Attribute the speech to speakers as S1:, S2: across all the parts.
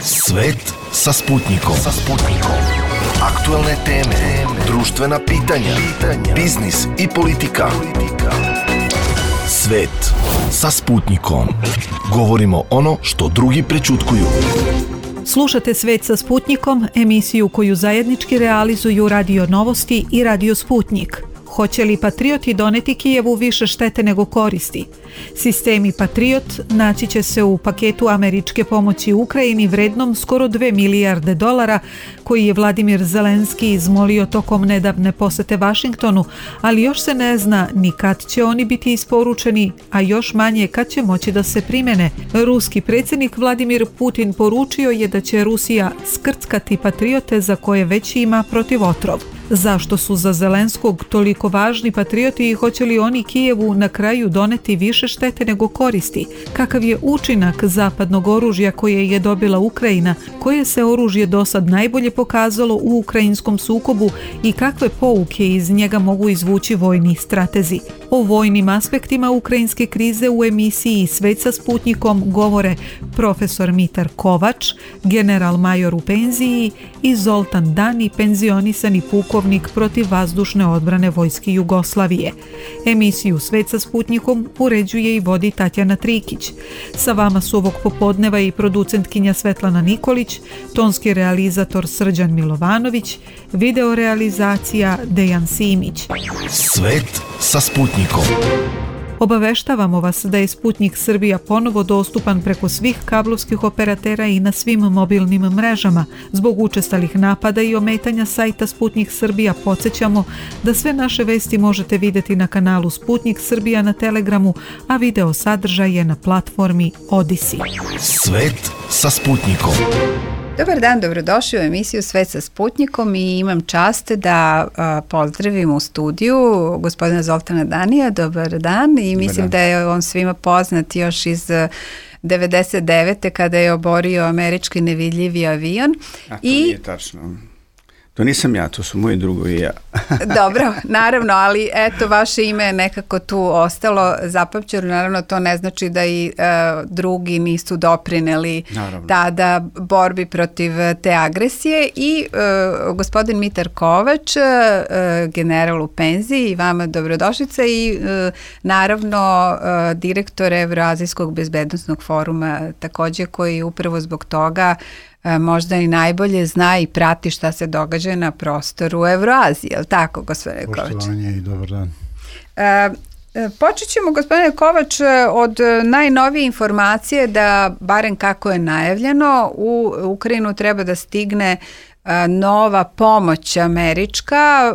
S1: Svet sa Sputnikom. Aktuelne teme, društvena pitanja, biznis i politika. Svet sa Sputnikom. Govorimo ono što drugi prećutkuju.
S2: Slušate Svet sa Sputnikom, emisiju koju zajednički realizuju Radio Novosti i Radio Sputnik. Hoće li Patrioti doneti Kijevu više štete nego koristi? Sistemi Patriot naći će se u paketu američke pomoći Ukrajini vrednom skoro $2 milijarde koji je Vladimir Zelenski izmolio tokom nedavne posete Vašingtonu, ali još se ne zna ni kad će oni biti isporučeni, a još manje kad će moći da se primene. Ruski predsjednik Vladimir Putin poručio je da će Rusija skrckati Patriote za koje već ima protivotrov. Zašto su za Zelenskog toliko važni Patrioti i hoće li oni Kijevu na kraju doneti više štete nego koristi? Kakav je učinak zapadnog oružja koje je dobila Ukrajina? Koje se oružje dosad najbolje pokazalo u ukrajinskom sukobu i kakve pouke iz njega mogu izvući vojni stratezi? O vojnim aspektima ukrajinske krize u emisiji Svet sa Sputnikom govore profesor Mitar Kovač, general major u penziji, i Zoltan Dani, penzionisani pukovnik protivvazdušne odbrane vojske Jugoslavije. Emisiju Svet sa Sputnikom uređuje i vodi Tatjana Trikić. Sa vama su ovog popodneva i producentkinja Svetlana Nikolić, tonski realizator Srđan Milovanović, videorealizacija Dejan Simić.
S1: Svet sa Sputnikom.
S2: Obaveštavamo vas da je Sputnik Srbija ponovo dostupan preko svih kablovskih operatera i na svim mobilnim mrežama. Zbog učestalih napada i ometanja sajta Sputnik Srbija podsjećamo da sve naše vesti možete vidjeti na kanalu Sputnik Srbija na Telegramu, a video sadržaj je na platformi Odyssey.
S1: Svet sa Sputnikom.
S3: Dobar dan, dobrodošli u emisiju Svet sa Sputnikom i imam čast da pozdravim u studiju gospodina Zoltana Danija. Dobar dan i mislim da je on svima poznat još iz 99. kada je oborio američki nevidljivi avion.
S4: A to nije tačno. To nisam ja, to su moji drugovi i ja.
S3: Dobro, naravno, ali eto, vaše ime je nekako tu ostalo zapamćeno. Naravno, to ne znači da i drugi nisu doprineli tada borbi protiv te agresije. I gospodin Mitar Kovač, general u penziji, i vama dobrodošlica, i naravno direktor Evroazijskog bezbednosnog foruma, također, koji upravo zbog toga možda i najbolje zna i prati šta se događa na prostoru Evroazije, je li tako, gospodine Kovač?
S5: Poštovanje i dobar dan.
S3: Počet ćemo, gospodine Kovač, od najnovije informacije da, barem kako je najavljeno, u Ukrajinu treba da stigne nova pomoć američka.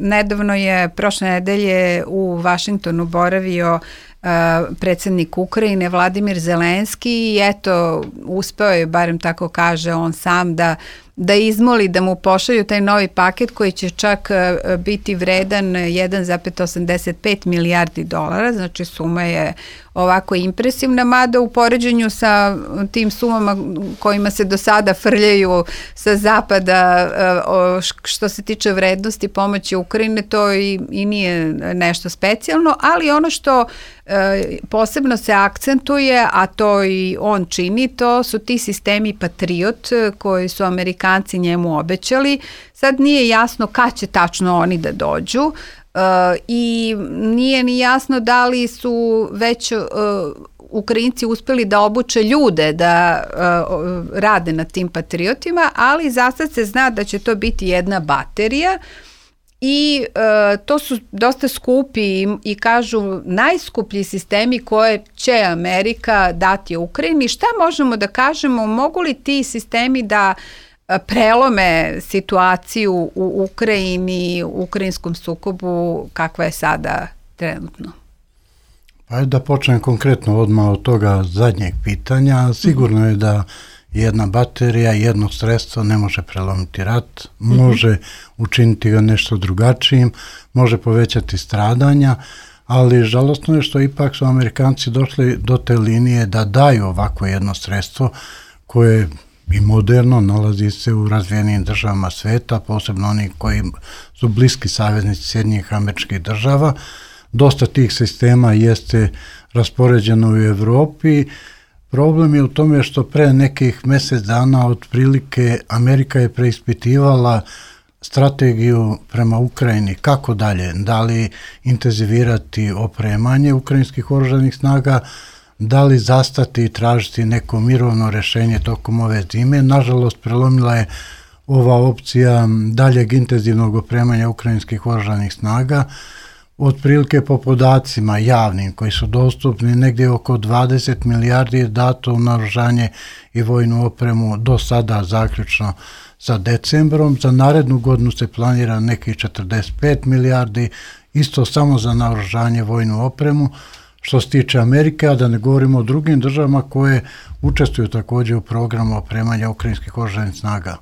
S3: Nedavno je prošle nedelje u Vašingtonu boravio predsjednik Ukrajine Vladimir Zelenski i eto, uspeo je, barem tako kaže on sam, da izmoli da mu pošalju taj novi paket koji će čak biti vredan 1,85 milijardi dolara, znači suma je ovako impresivna, mada u poređenju sa tim sumama kojima se do sada frljaju sa zapada što se tiče vrednosti pomoći Ukrajine, to i nije nešto specijalno, ali ono što posebno se akcentuje, a to i on čini, to su ti sistemi Patriot koji su Amerikanci njemu obećali. Sad nije jasno kad će tačno oni da dođu i nije ni jasno da li su već Ukrajinci uspeli da obuče ljude da rade na tim Patriotima, ali za sad se zna da će to biti jedna baterija. I to su dosta skupi i kažu najskuplji sistemi koje će Amerika dati Ukrajini. Šta možemo da kažemo, mogu li ti sistemi da prelome situaciju u Ukrajini, u ukrajinskom sukobu kakva je sada trenutno?
S5: Pa da počnem konkretno odmah od toga zadnjeg pitanja. Sigurno je da jedna baterija, jedno sredstvo ne može prelomiti rat, može učiniti ga nešto drugačijim, može povećati stradanja, ali žalostno je što ipak su Amerikanci došli do te linije da daju ovako jedno sredstvo koje i moderno nalazi se u razvijenim državama sveta, posebno oni koji su bliski saveznici Sjedinjenih Američkih Država. Dosta tih sistema jeste raspoređeno u Evropi, Problem je u tome što pre nekih mjesec dana otprilike Amerika je preispitivala strategiju prema Ukrajini. Kako dalje? Da li intenzivirati opremanje ukrajinskih oružanih snaga, da li zastati i tražiti neko mirovno rješenje tokom ove zime. Nažalost, prelomila je ova opcija daljeg intenzivnog opremanja ukrajinskih oružanih snaga. Otprilike po podacima javnim koji su dostupni, negdje oko 20 milijardi je dato u naoružanje i vojnu opremu do sada zaključno sa decembrom. Za narednu godinu se planira nekih 45 milijardi, isto samo za naoružanje vojnu opremu. Što se tiče Amerike, a da ne govorimo o drugim državama koje učestvuju također u programu opremanja ukrajinskih oružanih snaga.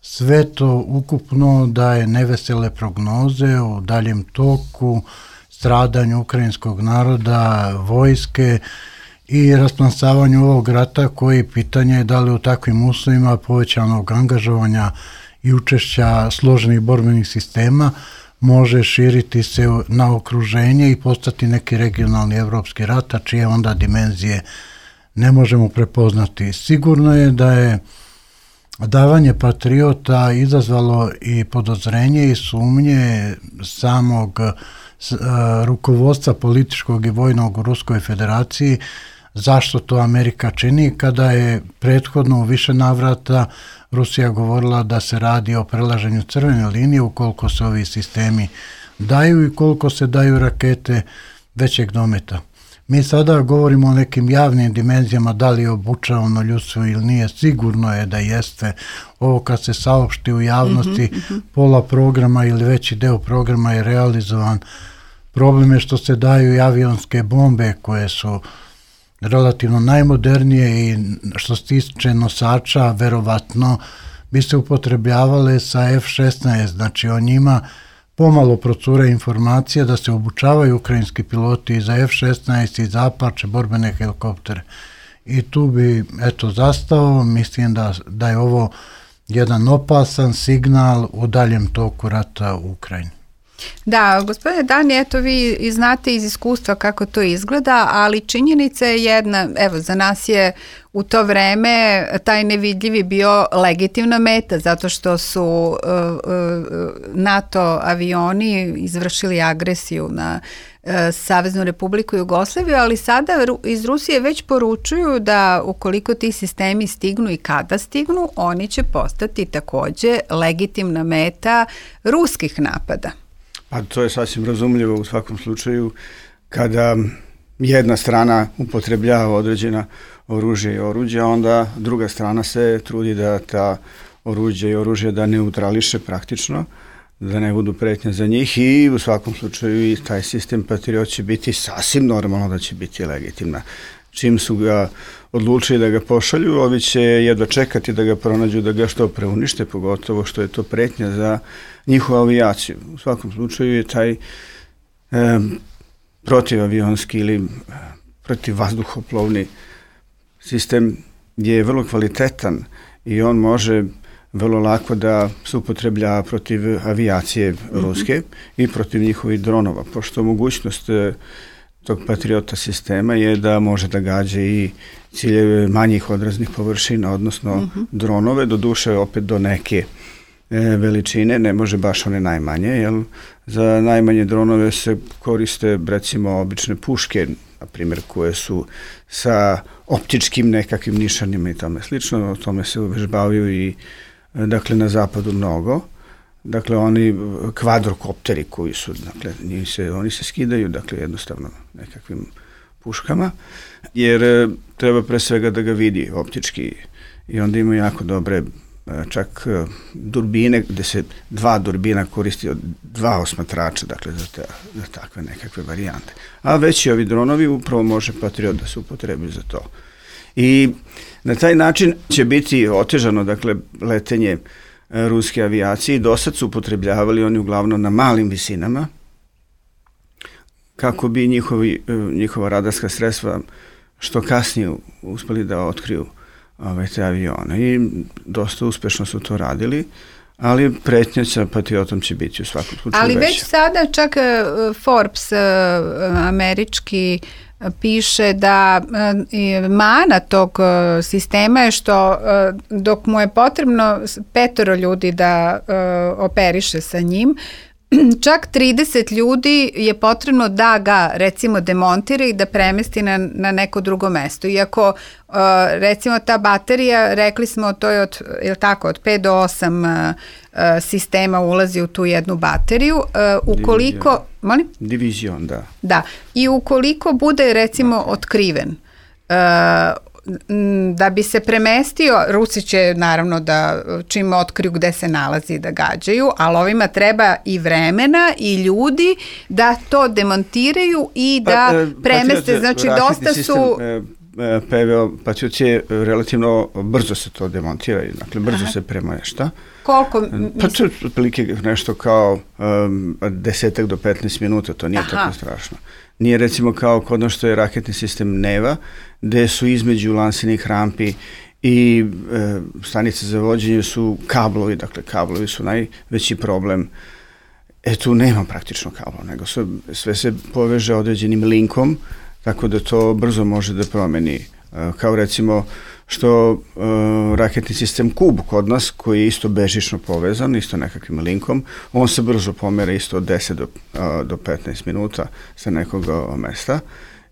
S5: Sve to ukupno daje nevesele prognoze u daljem toku, stradanju ukrajinskog naroda, vojske i rasplasavanju ovog rata, koji pitanje je da li u takvim uslovima povećanog angažovanja i učešća složenih borbenih sistema može širiti se na okruženje i postati neki regionalni evropski rat, a čije onda dimenzije ne možemo prepoznati. Sigurno je da je davanje Patriota izazvalo i podozrenje i sumnje samog rukovodstva političkog i vojnog u Ruskoj federaciji, zašto to Amerika čini, kada je prethodno u više navrata Rusija govorila da se radi o prelaženju crvene linije ukoliko se ovi sistemi daju i koliko se daju rakete većeg dometa. Mi sada govorimo o nekim javnim dimenzijama, da li je obučavano ljudstvo ili nije, sigurno je da jeste. Ovo kad se saopšti u javnosti, pola programa ili veći deo programa je realizovan. Problem je što se daju i avionske bombe koje su relativno najmodernije i što se tiče nosača, verovatno bi se upotrebljavale sa F-16, znači o njima pomalo procure informacija da se obučavaju ukrajinski piloti i za F-16 i za Apache borbene helikoptere. I tu bi zastao, mislim da je ovo jedan opasan signal u daljem toku rata u Ukrajini.
S3: Da, gospodine Dani, eto vi znate iz iskustva kako to izgleda, ali činjenica je jedna, evo za nas je u to vreme taj nevidljivi bio legitimna meta, zato što su NATO avioni izvršili agresiju na Saveznu Republiku Jugoslaviju, ali sada iz Rusije već poručuju da ukoliko ti sistemi stignu i kada stignu, oni će postati također legitimna meta ruskih napada.
S4: Pa to je sasvim razumljivo u svakom slučaju kada jedna strana upotrebljava određena oružje i oruđa, onda druga strana se trudi da ta oruđe i oružje da neutrališe praktično, da ne budu pretnja za njih i u svakom slučaju i taj sistem Patriot će biti sasvim normalno da će biti legitimna. Čim su ga odlučili da ga pošalju, ovi će jedva čekati da ga pronađu, da ga što pre unište, pogotovo što je to pretnja za njihovu avijaciju. U svakom slučaju je taj protivavionski ili protivvazduhoplovni sistem je vrlo kvalitetan i on može vrlo lako da se upotrebljava protiv avijacije ruske i protiv njihovih dronova, pošto mogućnost tog Patriota sistema je da može da gađa i ciljeve manjih odraznih površina, odnosno dronove, doduše opet do neke veličine, ne može baš one najmanje, jer za najmanje dronove se koriste recimo obične puške, na primjer koje su sa optičkim nekakvim nišanima i tome slično, o tome se uvežbavaju i dakle na zapadu mnogo. Dakle, oni kvadrokopteri koji su, dakle, oni se skidaju, dakle, jednostavno nekakvim puškama, jer treba pre svega da ga vidi optički i onda ima jako dobre čak durbine, gde se dva durbina koristi od dva osmatrača, dakle, za takve nekakve varijante. A već i ovi dronovi upravo može Patriot da se upotrebi za to. I na taj način će biti otežano, dakle, letenje ruske avijacije. Do sad su upotrebljavali oni uglavnom na malim visinama kako bi njihova radarska sredstva što kasnije uspeli da otkriju te avione i dosta uspešno su to radili, ali pretnja sa Patriotom će biti u svakom slučaju
S3: ali
S4: veća.
S3: Već sada čak Forbes američki piše da mana tog sistema je što dok mu je potrebno 5 ljudi da operiše sa njim, čak 30 ljudi je potrebno da ga recimo demontira i da premesti na neko drugo mesto. Iako recimo ta baterija, rekli smo to je od 5 do 8 sistema ulazi u tu jednu bateriju. Ukoliko...
S4: Divizion, da.
S3: Da. I ukoliko bude recimo otkriven, da bi se premestio, Rusi će naravno da čim otkriju gde se nalazi da gađaju, ali ovima treba i vremena i ljudi da to demontiraju i da premeste. Znači dosta su...
S4: PVO Patriot će relativno brzo se to demontira, dakle brzo se premešta.
S3: Koliko?
S4: Pa to je otprilike nešto kao 10 do 15 minuta, to nije tako strašno. Nije recimo kao kod ono što je raketni sistem Neva, gde su između lansenih rampi i stanice za vođenje su kablovi, dakle kablovi su najveći problem. Tu nema praktično kablo, nego sve se poveže određenim linkom, tako da to brzo može da promeni. Kao recimo što raketni sistem Kub kod nas, koji je isto bežično povezan, isto nekakvim linkom, on se brzo pomera isto od 10 do 15 minuta sa nekog mesta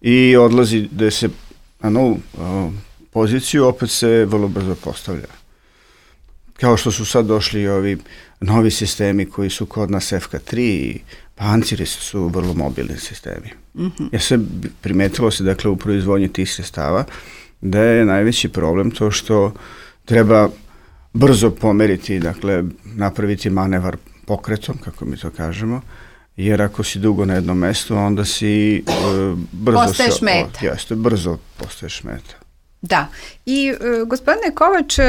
S4: i odlazi da se na novu poziciju, opet se vrlo brzo postavlja. Kao što su sad došli i ovi novi sistemi koji su kod nas FK3 i panciri su vrlo mobilni sistemi. Ja se primetilo se dakle u proizvodnji tih sredstava da je najveći problem to što treba brzo pomeriti, dakle napraviti manevar pokretom, kako mi to kažemo, jer ako si dugo na jednom mestu, onda si brzo
S3: postaješ meta.
S4: Jeste, brzo postaješ meta.
S3: Da. I gospodine Kovač,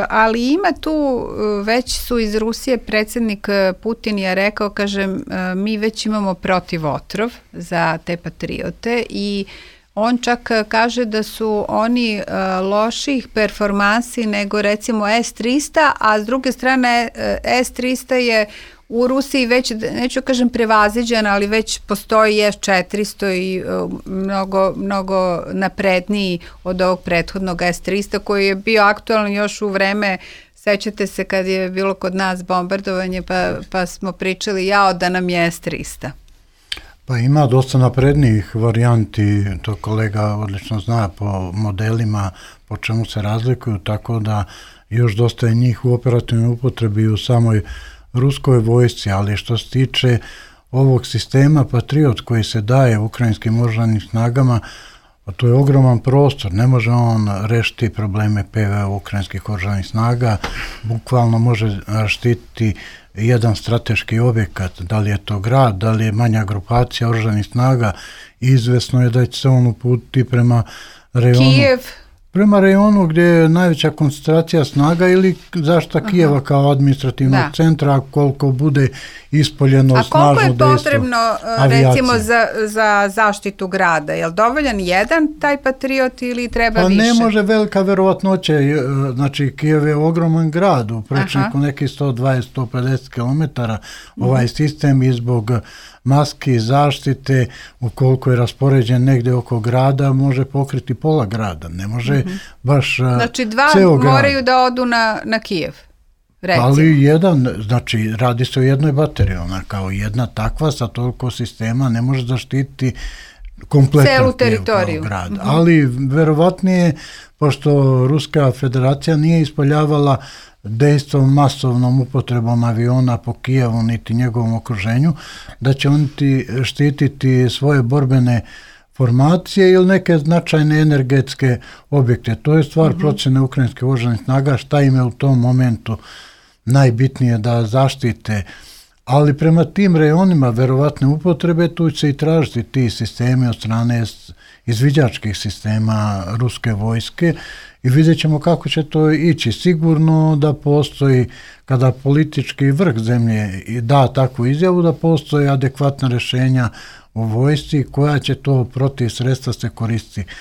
S3: ali ima tu, već su iz Rusije, predsjednik Putin je rekao, kaže, mi već imamo protivotrov za te patriote i on čak kaže da su oni loših performansi nego recimo S-300, a s druge strane S-300 je u Rusiji već, neću kažem prevaziđen, ali već postoji S-400 i mnogo napredniji od ovog prethodnog S-300 koji je bio aktualan još u vreme, sećate se kad je bilo kod nas bombardovanje pa smo pričali da nam je S-300.
S5: Pa ima dosta naprednijih varijanti, to kolega odlično zna po modelima, po čemu se razlikuju, tako da još dosta je njih u operativnoj upotrebi u samoj ruskoj vojsci, ali što se tiče ovog sistema Patriot koji se daje ukrajinskim oružanim snagama, to je ogroman prostor, ne može on rešiti probleme PVO ukrajinskih oružanih snaga, bukvalno može štititi jedan strateški objekat, da li je to grad, da li je manja grupacija oružanih snaga, izvesno je da će se on uputiti prema rejonu.
S3: Kijev.
S5: Prema rejonu gdje je najveća koncentracija snaga ili zaštita Kijeva kao administrativnog centra, koliko bude ispoljeno snažno dejstvo.
S3: A koliko je potrebno recimo za zaštitu grada? Je li dovoljan jedan taj Patriot ili treba više?
S5: Pa ne može, velika verovatnoća. Znači Kijev je ogroman grad, u prečniku nekih 120-150 km. Ovaj sistem i zbog maski zaštite, ukoliko je raspoređen negde oko grada, može pokriti pola grada, ne može baš
S3: znači dva moraju da odu na Kijev, recimo.
S5: Ali jedan, znači radi se o jednoj bateriji, ona kao jedna takva sa toliko sistema ne može zaštititi kompletan
S3: celu teritoriju
S5: grad. Ali verovatnije, pošto Ruska federacija nije ispoljavala dejstvom masovnom upotrebom aviona po Kijevu niti njegovom okruženju, da će oni štititi svoje borbene formacije ili neke značajne energetske objekte. To je stvar procjene ukrajinske oružanih snaga, šta im je u tom momentu najbitnije da zaštite. Ali prema tim rejonima verovatne upotrebe tu će se i tražiti ti sistemi od strane izviđačkih sistema ruske vojske i vidjet ćemo kako će to ići. Sigurno da postoji, kada politički vrh zemlje da takvu izjavu, da postoji adekvatna rješenja u vojsci koja će to protiv sredstva se koristiti.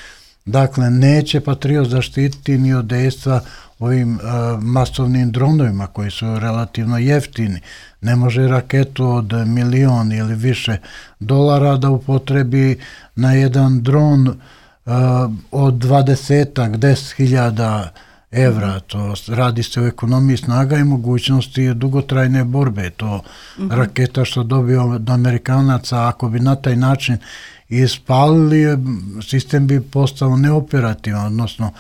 S5: Dakle, neće Patriot zaštititi ni od dejstva ovim masovnim dronovima koji su relativno jeftini. Ne može raketu od milion ili više dolara da upotrebi na jedan dron od 10.000 evra. To radi se o ekonomiji snaga i mogućnosti dugotrajne borbe. To raketa što dobio od Amerikanaca, ako bi na taj način ispalili, sistem bi postao neoperativan, odnosno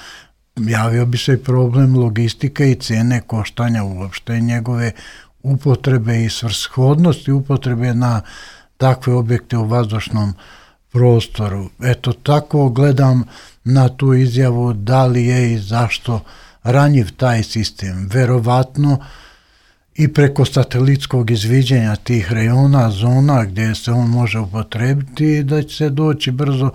S5: javio bi se i problem logistike i cene koštanja uopšte njegove upotrebe i svrshodnosti upotrebe na takve objekte u vazdušnom prostoru. Eto, tako gledam na tu izjavu da li je i zašto ranjiv taj sistem. Verovatno i preko satelitskog izviđenja tih rejona, zona gdje se on može upotrebiti, da će se doći brzo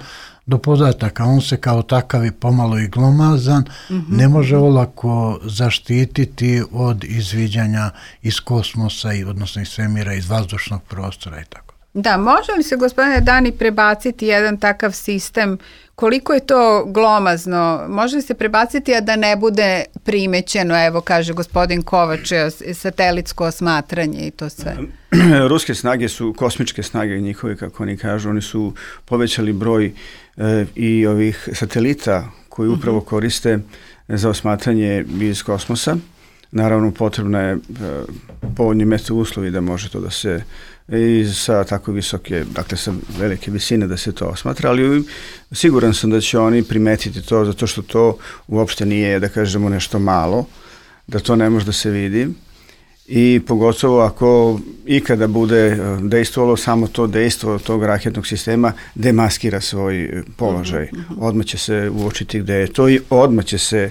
S5: do podataka. On se kao takav i pomalo i glomazan, ne može olako zaštititi od izviđanja iz kosmosa, odnosno iz svemira, iz vazdušnog prostora i tako.
S3: Da, može li se, gospodine Dani, prebaciti jedan takav sistem? Koliko je to glomazno? Može li se prebaciti, a da ne bude primećeno, evo kaže gospodin Kovač, satelitsko osmatranje i to sve?
S4: Ruske snage su kosmičke snage njihove, kako oni kažu. Oni su povećali broj i ovih satelita koji upravo koriste za osmatranje iz kosmosa. Naravno, potrebno je povoljni mesto uslovi da može to da se i sa tako visoke, dakle sa velike visine da se to osmatra, ali siguran sam da će oni primetiti to, zato što to uopšte nije, da kažemo, nešto malo, da to ne može da se vidi i pogotovo ako ikada bude dejstvovalo samo to dejstvo tog raketnog sistema, demaskira svoj položaj. Odmah će se uočiti gde je to i odmah će se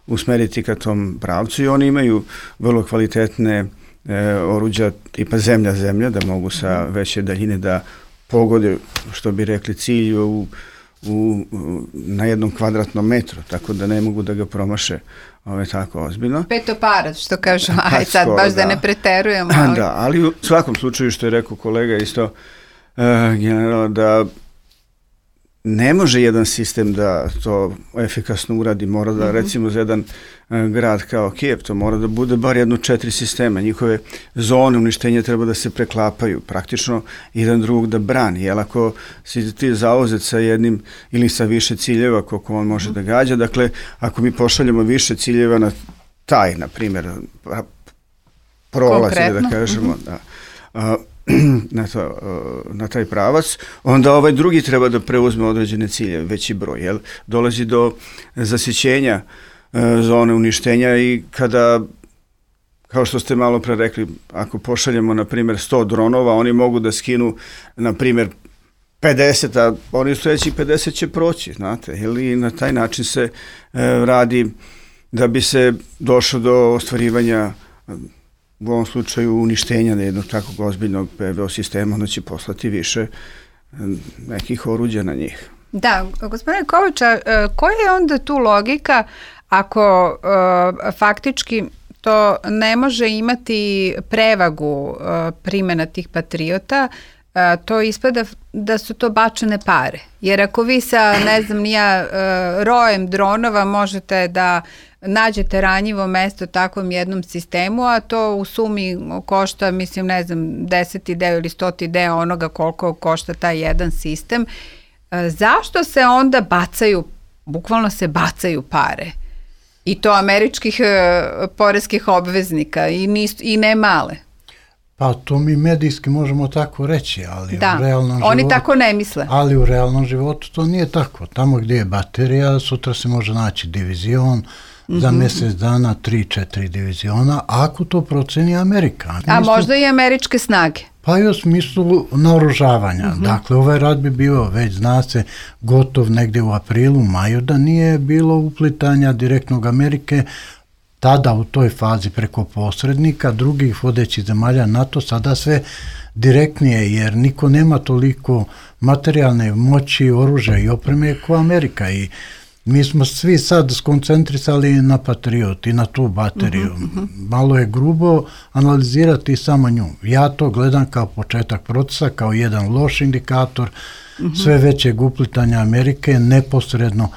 S4: usmeriti ka tom pravcu i oni imaju vrlo kvalitetne oruđa tipa zemlja, da mogu sa veće daljine da pogode, što bi rekli, cilj na jednom kvadratnom metru, tako da ne mogu da ga promaše tako ozbiljno.
S3: Petoparac, što kažu, aj sad baš da ne preterujemo. Ali...
S4: Da, ali u svakom slučaju, što je rekao kolega isto, general, da ne može jedan sistem da to efikasno uradi, mora da recimo za jedan grad kao Kijev, to mora da bude bar 4 sistema, njihove zone uništenja treba da se preklapaju, praktično jedan drugog da brani, jer ako si ti zauzet sa jednim ili sa više ciljeva koliko on može da gađa, dakle ako mi pošaljemo više ciljeva na taj, na primjer, prolaz, da kažemo, na taj pravac, onda ovaj drugi treba da preuzme određene ciljeve, veći broj, jel? Dolazi do zasićenja zone uništenja i kada, kao što ste malo pre rekli, ako pošaljemo, na primjer, 100 dronova, oni mogu da skinu, na primjer, 50, a oni sledeći 50 će proći, znate, ili na taj način se radi da bi se došlo do ostvarivanja, u ovom slučaju uništenja na jednog takvog ozbiljnog PVO sistema, onda će poslati više nekih oruđa na njih.
S3: Da, gospodine Kovača, koja je onda tu logika ako faktički to ne može imati prevagu primjena tih patriota, to ispada da su to bačene pare. Jer ako vi sa, ne znam, rojem dronova možete da nađete ranjivo mesto takvom jednom sistemu, a to u sumi košta, mislim, ne znam, 10. deo ili 100. deo onoga koliko košta taj jedan sistem, zašto se onda bukvalno se bacaju pare? I to američkih poreskih obveznika i ne male.
S5: Pa to mi medijski možemo tako reći, ali
S3: da,
S5: u realnom životu...
S3: oni tako ne misle.
S5: Ali u realnom životu to nije tako. Tamo gdje je baterija, sutra se može naći divizion, za mjesec dana 3-4 diviziona, ako to proceni Amerika.
S3: A možda i američke snage.
S5: Pa i u smislu naoružavanja. Dakle, ovaj rat bi bio, već zna se, gotov negdje u aprilu, maju, da nije bilo uplitanja direktnog Amerike, tada u toj fazi preko posrednika, drugih vodećih zemalja NATO, sada sve direktnije, jer niko nema toliko materijalne moći, oružja i opreme kao Amerika i mi smo svi sad skoncentrisali na Patriot i na tu bateriju. Malo je grubo analizirati samo nju. Ja to gledam kao početak procesa, kao jedan loš indikator sve većeg uplitanja Amerike neposredno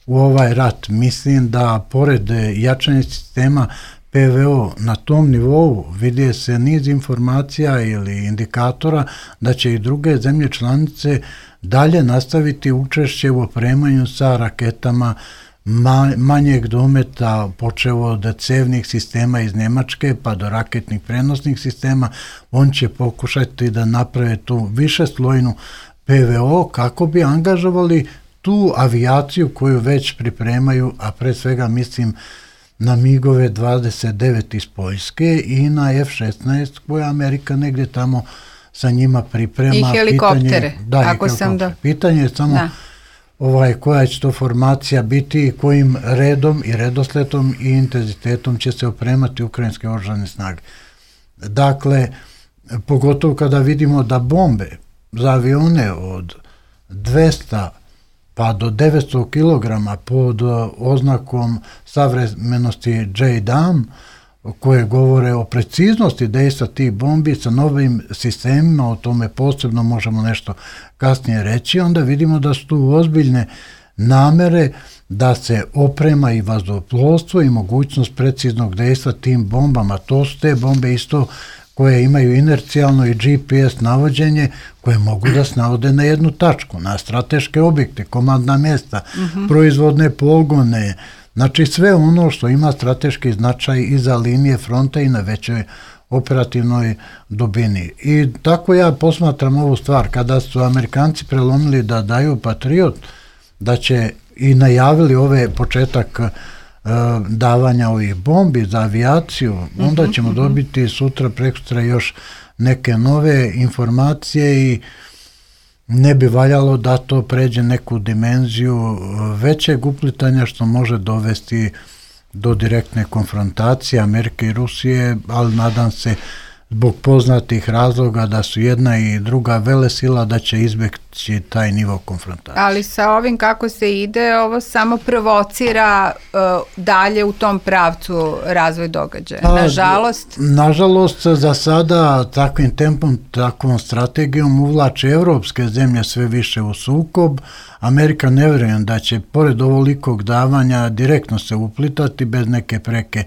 S5: u ovaj rat. Mislim da pored jačanja sistema PVO na tom nivou vidje se niz informacija ili indikatora da će i druge zemlje članice dalje nastaviti učešće u opremanju sa raketama manjeg dometa, počevo od cevnih sistema iz Njemačke pa do raketnih prenosnih sistema. On će pokušati da naprave tu višeslojnu PVO kako bi angažovali tu avijaciju koju već pripremaju, a pre svega mislim na MiG-ove 29 iz Poljske i na F-16 koja Amerika negdje tamo sa njima priprema.
S3: I helikoptere.
S5: Pitanje je samo koja će to formacija biti i kojim redom i redosletom i intenzitetom će se opremati ukrajinske oružane snage. Dakle, pogotovo kada vidimo da bombe za avione od 200 pa do 900 kg pod oznakom savremenosti JDAM, koje govore o preciznosti dejstva tih bombi sa novim sistemima, o tome posebno možemo nešto kasnije reći, onda vidimo da su tu ozbiljne namere da se oprema i vazduhoplovstvo i mogućnost preciznog dejstva tim bombama. To su te bombe isto koje imaju inercijalno i GPS navođenje, koje mogu da se navode na jednu tačku, na strateške objekte, komandna mjesta, proizvodne pogone, znači sve ono što ima strateški značaj iza linije fronta i na većoj operativnoj dubini. I tako ja posmatram ovu stvar, kada su Amerikanci prelomili da daju Patriot, da će i najavili ove početak davanja ovih bombi za avijaciju, onda ćemo dobiti sutra, prekosutra još neke nove informacije i ne bi valjalo da to pređe neku dimenziju većeg uplitanja što može dovesti do direktne konfrontacije Amerike i Rusije, ali nadam se zbog poznatih razloga da su jedna i druga velesila da će izbjeći taj nivo konfrontacije.
S3: Ali sa ovim kako se ide, ovo samo provocira dalje u tom pravcu razvoj događaja. Nažalost,
S5: za sada takvim tempom, takvom strategijom uvlače evropske zemlje sve više u sukob. Amerika ne vjerujem da će pored ovolikog davanja direktno se uplitati bez neke preke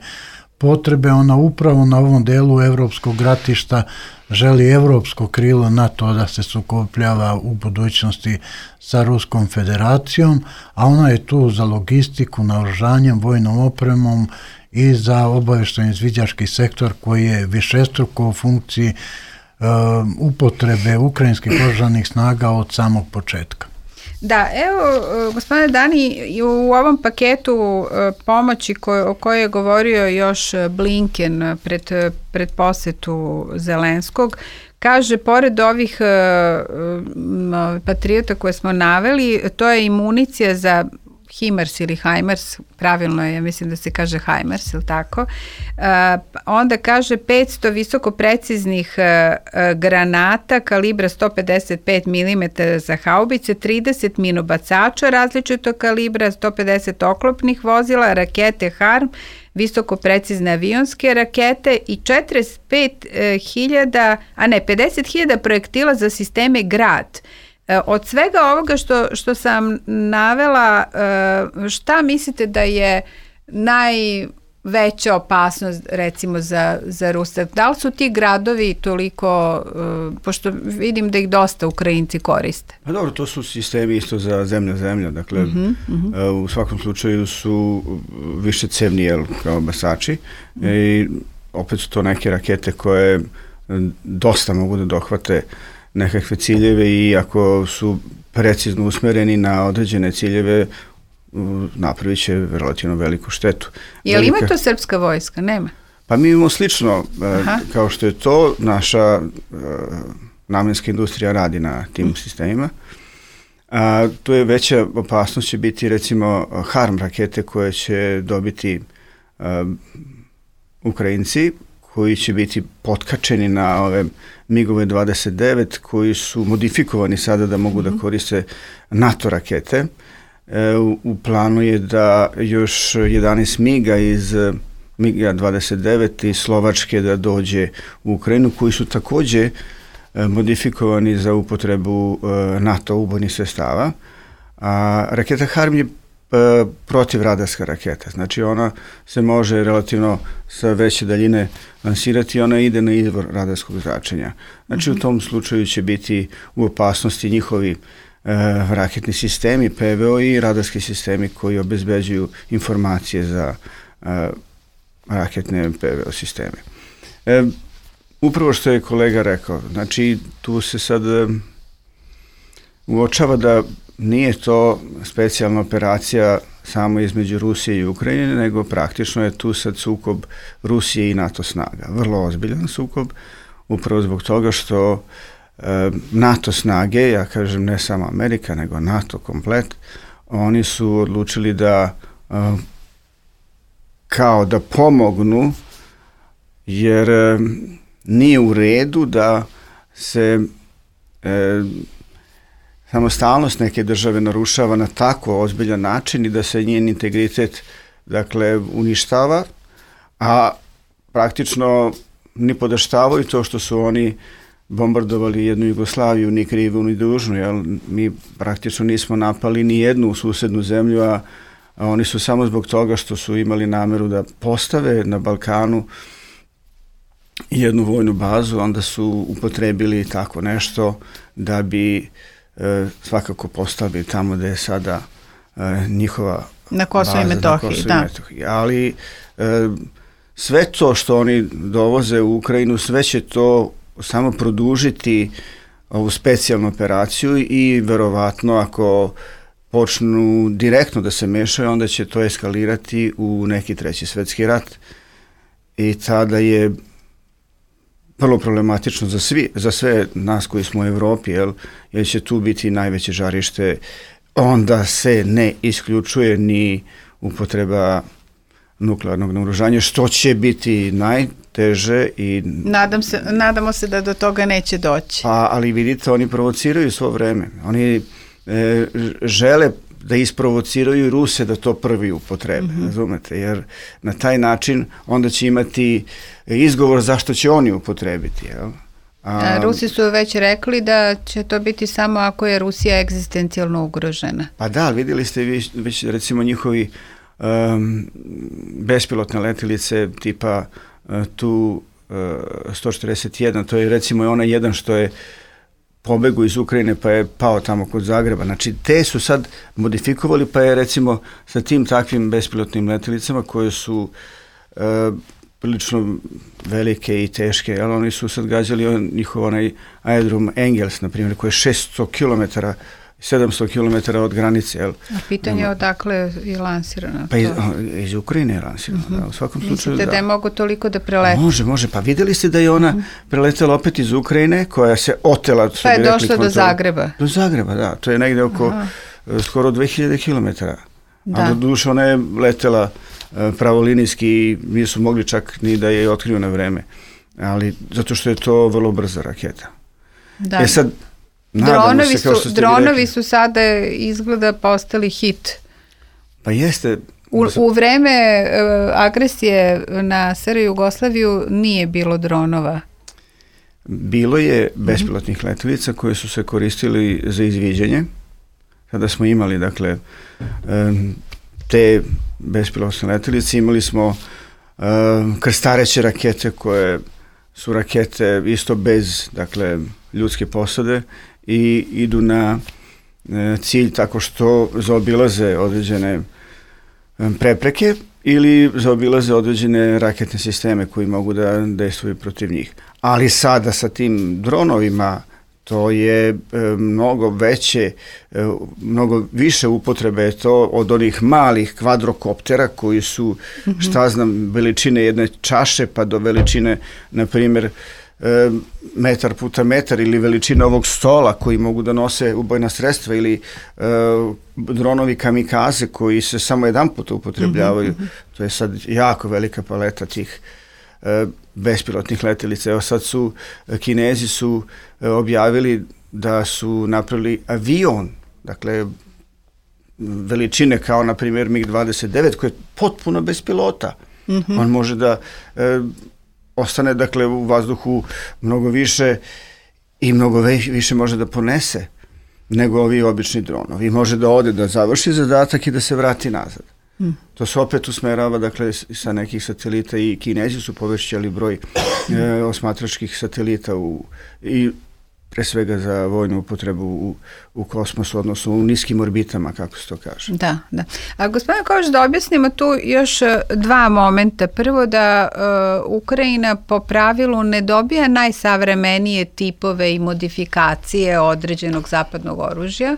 S5: potrebe. Ona upravo na ovom delu evropskog ratišta želi evropsko krilo NATO da se sukobljava u budućnosti sa Ruskom federacijom, a ona je tu za logistiku, naoružanjem, vojnom opremom i za obavještajni izviđački sektor koji je višestruko u funkciji upotrebe ukrajinskih oružanih snaga od samog početka.
S3: Da, evo, gospodine Dani, u ovom paketu pomoći o kojoj je govorio još Blinken pred posetu Zelenskog, kaže, pored ovih patriota koje smo naveli, to je i municija za HIMARS ili HIMARS, pravilno je, ja mislim da se kaže HIMARS, ili tako. Onda kaže 500 visoko preciznih granata kalibra 155 mm za haubice, 30 minobacača različitog kalibra, 150 oklopnih vozila, rakete HARM, visoko precizne avionske rakete i 50.000 projektila za sisteme GRAD. Od svega ovoga što sam navela, šta mislite da je najveća opasnost recimo za Rusiju? Da li su ti gradovi toliko, pošto vidim da ih dosta Ukrajinci koriste?
S4: Pa dobro, to su sistemi isto za zemlja, dakle u svakom slučaju su više cevni kao basači i opet su to neke rakete koje dosta mogu da dohvate nekakve ciljeve i ako su precizno usmereni na određene ciljeve, napravit će relativno veliku štetu.
S3: Je li ima to srpska vojska? Nema?
S4: Pa mi imamo slično, kao što je to, naša namenska industrija radi na tim sistemima. Tu je veća opasnost će biti recimo HARM rakete koje će dobiti Ukrajinci, koji će biti potkačeni na ove MiG-ove 29 koji su modifikovani sada da mogu da koriste NATO rakete. U planu je da još 11 MiG-a iz MiG-a 29 iz Slovačke da dođe u Ukrajinu, koji su također modifikovani za upotrebu NATO ubojnih sredstava. A raketa HARM je protivradarska raketa. Znači ona se može relativno sa veće daljine lansirati i ona ide na izvor radarskog zračenja. Znači u tom slučaju će biti u opasnosti njihovi raketni sistemi, PVO i radarski sistemi koji obezbeđuju informacije za raketne PVO sisteme. Upravo što je kolega rekao, znači tu se sad uočava da nije to specijalna operacija samo između Rusije i Ukrajine, nego praktično je tu sad sukob Rusije i NATO snaga. Vrlo ozbiljan sukob, upravo zbog toga što NATO snage, ja kažem ne samo Amerika, nego NATO komplet, oni su odlučili da kao da pomognu, jer nije u redu da se samostalnost neke države narušava na tako ozbiljan način i da se njen integritet dakle uništava, a praktično ni podaštavaju to što su oni bombardovali jednu Jugoslaviju, ni krivu ni dužnu, jer mi praktično nismo napali ni jednu susednu zemlju, a oni su samo zbog toga što su imali nameru da postave na Balkanu jednu vojnu bazu, onda su upotrebili tako nešto da bi svakako postavili tamo gde je sada njihova
S3: na Kosovo i Metohiji, da.
S4: Ali sve to što oni dovoze u Ukrajinu, sve će to samo produžiti ovu specijalnu operaciju i verovatno ako počnu direktno da se mešaju, onda će to eskalirati u neki treći svetski rat i tada je vrlo problematično za sve nas koji smo u Evropi, jer će tu biti najveće žarište, onda se ne isključuje ni upotreba nuklearnog naoružanja, što će biti najteže i...
S3: Nadamo se da do toga neće doći.
S4: Ali vidite, oni provociraju svo vreme. Oni žele da isprovociraju Ruse da to prvi upotrebe, razumete, jer na taj način onda će imati izgovor zašto će oni upotrebiti, jel?
S3: Rusi su već rekli da će to biti samo ako je Rusija egzistencijalno ugrožena.
S4: Pa da, vidjeli ste već recimo njihovi bespilotne letilice tipa Tu-141, to je recimo onaj jedan što je pobegu iz Ukrajine pa je pao tamo kod Zagreba. Znači te su sad modifikovali pa je recimo sa tim takvim bespilotnim letilicama koje su prilično velike i teške, ali oni su sad gađali njihov onaj aerodrom Engels, na primjer, koji je 600 km, 700 km od granice. Jel?
S3: A pitanje je odakle je lansirano?
S4: Pa iz Ukrajine je lansirano, da, u svakom slučaju.
S3: Mislite da je mogu toliko da preleti?
S4: Može, pa vidjeli ste da je ona preletela opet iz Ukrajine, koja se otela.
S3: Pa je došla do Zagreba.
S4: Do Zagreba, da, to je negde oko skoro 2000 km. A do duše ona je letela pravolinijski i nisu mogli čak ni da je otkriju na vreme. Ali zato što je to vrlo brza raketa.
S3: Da.
S4: Sad,
S3: dronovi su sada izgleda postali hit.
S4: Pa jeste.
S3: U vreme agresije na SR Jugoslaviju nije bilo dronova.
S4: Bilo je bespilotnih letelica koje su se koristili za izviđanje. Kada smo imali, dakle, te bespilotne letelice, imali smo krstareće rakete koje su rakete isto bez, dakle, ljudske posade i idu na cilj tako što zaobilaze određene prepreke ili zaobilaze određene raketne sisteme koji mogu da dejstvuju protiv njih. Ali sada sa tim dronovima to je mnogo veće, mnogo više upotrebe je to od onih malih kvadrokoptera koji su, šta znam, veličine jedne čaše pa do veličine, na primjer, metar puta metar ili veličina ovog stola koji mogu da nose ubojna sredstva ili dronovi kamikaze koji se samo jedan put upotrebljavaju. To je sad jako velika paleta tih bespilotnih letelica. Evo sad Kinezi su objavili da su napravili avion, dakle veličine kao na primjer MiG-29 koji je potpuno bez pilota. On može da ostane, dakle, u vazduhu mnogo više i mnogo više može da ponese. nego ovi obični dronovi. Može da ode, da završi zadatak i da se vrati nazad. To se opet usmerava, dakle, sa nekih satelita, i Kinezi su povećali broj osmatračkih satelita i pre svega za vojnu upotrebu u kosmosu, odnosno u niskim orbitama, kako se to kaže.
S3: Da. A gospodine Kovač, da objasnimo tu još dva momenta. Prvo, da Ukrajina po pravilu ne dobija najsavremenije tipove i modifikacije određenog zapadnog oružja,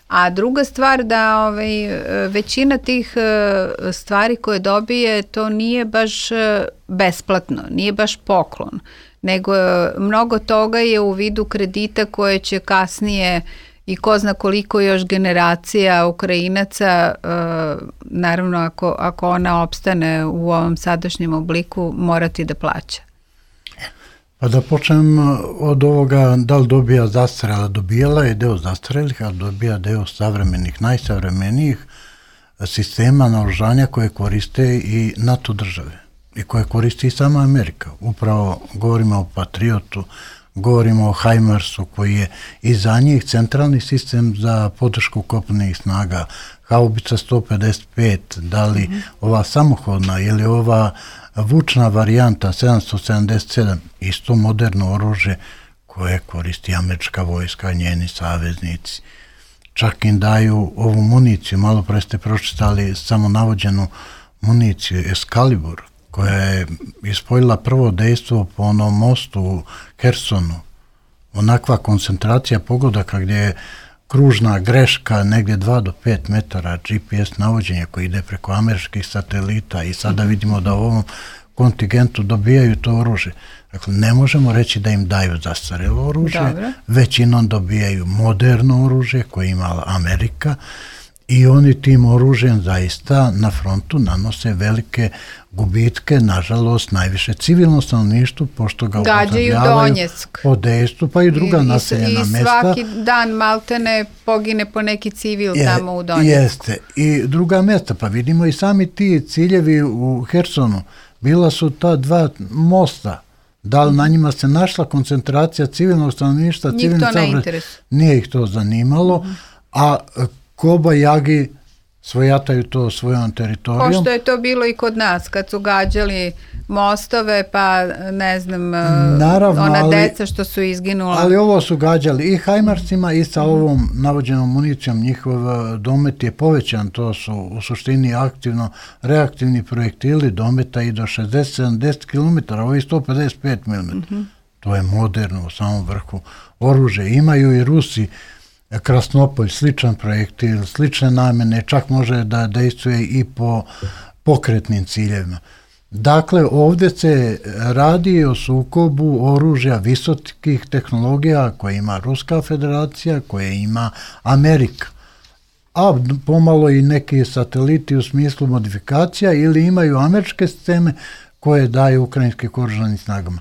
S3: a druga stvar da većina tih stvari koje dobije, to nije baš besplatno, nije baš poklon, nego mnogo toga je u vidu kredita koje će kasnije i ko zna koliko još generacija Ukrajinaca, naravno ako ona opstane u ovom sadašnjem obliku, morati da plaća.
S5: Pa da počnem od ovoga, da li dobija zastarela, dobijala je deo zastarelih, a dobija deo savremenih, najsavremenijih sistema naoružanja koje koriste i NATO države i koje koristi i sama Amerika. Upravo govorimo o Patriotu, govorimo o HIMARS-u koji je i za njih centralni sistem za podršku kopnenih snaga, haubica 155, da li ova samohodna ili ova vučna varijanta 777, isto moderno oružje koje koristi američka vojska, njeni saveznici. Čak im daju ovu municiju, malo pre ste pročitali samo navođenu municiju Excalibur, koja je ispojila prvo dejstvo po onom mostu u Hersonu. Onakva koncentracija pogodaka gdje je kružna greška negdje 2 do 5 metara GPS navođenja koji ide preko američkih satelita i sada vidimo da u ovom kontingentu dobijaju to oružje. Dakle, ne možemo reći da im daju zastarelo oružje, većinom dobijaju moderno oružje koje je imala Amerika i oni tim oružjem zaista na frontu nanose velike gubitke, nažalost najviše civilno stanovništvo, pošto ga upotrebljavaju po dejstvu, pa i druga naseljena mesta.
S3: I svaki dan maltene pogine po neki civil tamo u Donjecku.
S5: Jeste, i druga mesta, pa vidimo i sami ti ciljevi u Hersonu, bila su ta dva mosta, da li na njima se našla koncentracija civilnog stanovništva,
S3: njih to ne interesuje.
S5: Nije ih to zanimalo, a kobajagi svojataju to svojom teritorijom.
S3: Pošto je to bilo i kod nas, kad su gađali mostove, pa ne znam, naravno, ona deca što su izginula.
S5: Ali ovo su gađali i HIMARS-ima i sa ovom navođenom municijom, njihov domet je povećan, to su u suštini reaktivni projektili dometa i do 60-70 km, ovi 155 mm. To je moderno u samom vrhu oružje. Imaju i Rusi Krasnopolj, sličan projektil, slične namene, čak može da dejstvuje i po pokretnim ciljevima. Dakle, ovdje se radi o sukobu oružja visokih tehnologija koje ima Ruska federacija, koje ima Amerika, a pomalo i neki sateliti u smislu modifikacija ili imaju američke sisteme koje daju ukrajinskim oružanim snagama.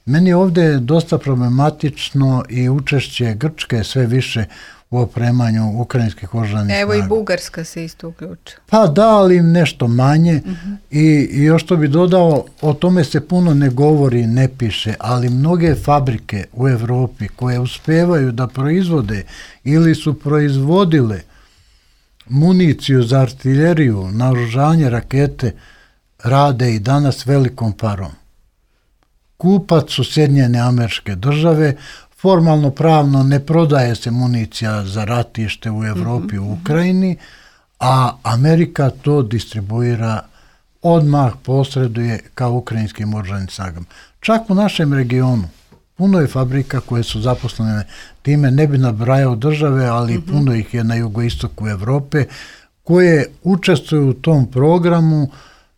S5: Meni ovdje je dosta problematično i učešće Grčke sve više u opremanju ukrajinskih oružanih snaga.
S3: Evo i Bugarska se isto uključila.
S5: Pa da, ali nešto manje. I još što bi dodao, o tome se puno ne govori, ne piše, ali mnoge fabrike u Evropi koje uspevaju da proizvode ili su proizvodile municiju za artiljeriju, naoružanje, rakete, rade i danas velikom parom. Kupac su Sjedinjene Američke Države, formalno pravno ne prodaje se municija za ratište u Evropi, u Ukrajini, a Amerika to distribuira, odmah posreduje kao ukrajinskim oružanim snagama. Čak u našem regionu puno je fabrika koje su zaposlene time, ne bi nabrajao države, ali puno ih je na jugoistoku Evrope, koje učestvuju u tom programu.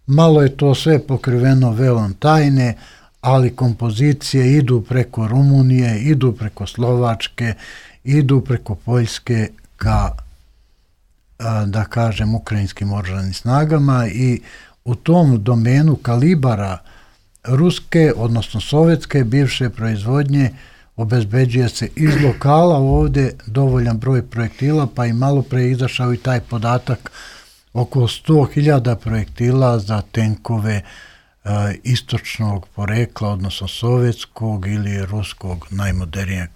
S5: Malo je to sve pokriveno velom tajne, ali kompozicije idu preko Rumunije, idu preko Slovačke, idu preko Poljske ka, da kažem, ukrajinskim oružanim snagama i u tom domenu kalibara ruske, odnosno sovjetske bivše proizvodnje obezbeđuje se iz lokala ovdje dovoljan broj projektila, pa i malo pre izašao i taj podatak oko 100.000 projektila za tenkove istočnog porekla, odnosno sovjetskog ili ruskog najmodernijeg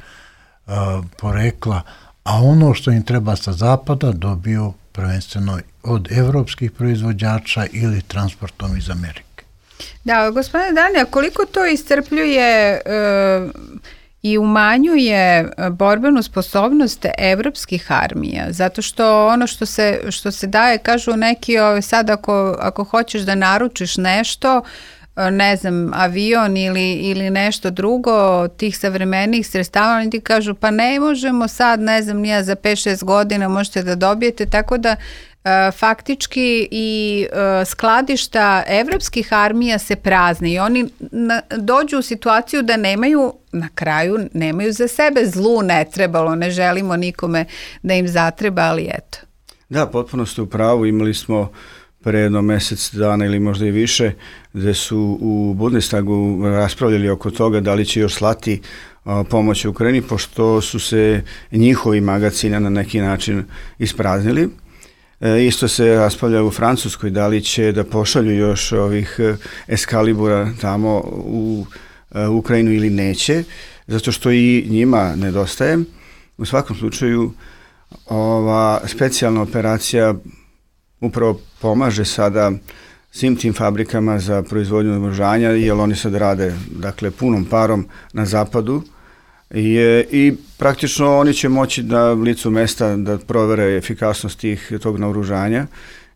S5: porekla, a ono što im treba sa zapada dobiju prvenstveno od evropskih proizvođača ili transportom iz Amerike.
S3: Da, gospodine Danija, koliko to iscrpljuje i umanjuje borbenu sposobnost evropskih armija, zato što ono što se daje, kažu neki, sad ako hoćeš da naručiš nešto, ne znam, avion ili nešto drugo, tih savremenih sredstava, oni ti kažu pa ne možemo sad, ne znam, nije za 5-6 godina možete da dobijete, tako da faktički i skladišta evropskih armija se prazne i oni dođu u situaciju da nemaju, na kraju nemaju za sebe, zlu ne trebalo, ne želimo nikome da im zatreba, ali eto.
S4: Da, potpuno ste u pravu, imali smo pre jedno mesec dana ili možda i više, gde su u Bundestagu raspravljali oko toga da li će još slati pomoć Ukrajini, pošto su se njihovi magacini na neki način ispraznili. Isto se raspravlja u Francuskoj da li će da pošalju još ovih Eskalibura tamo u Ukrajinu ili neće, zato što i njima nedostaje. U svakom slučaju ova specijalna operacija upravo pomaže sada svim tim fabrikama za proizvodnju naoružanja, jer oni sad rade, dakle, punom parom na zapadu i praktično oni će moći na licu mesta da provere efikasnost tog naoružanja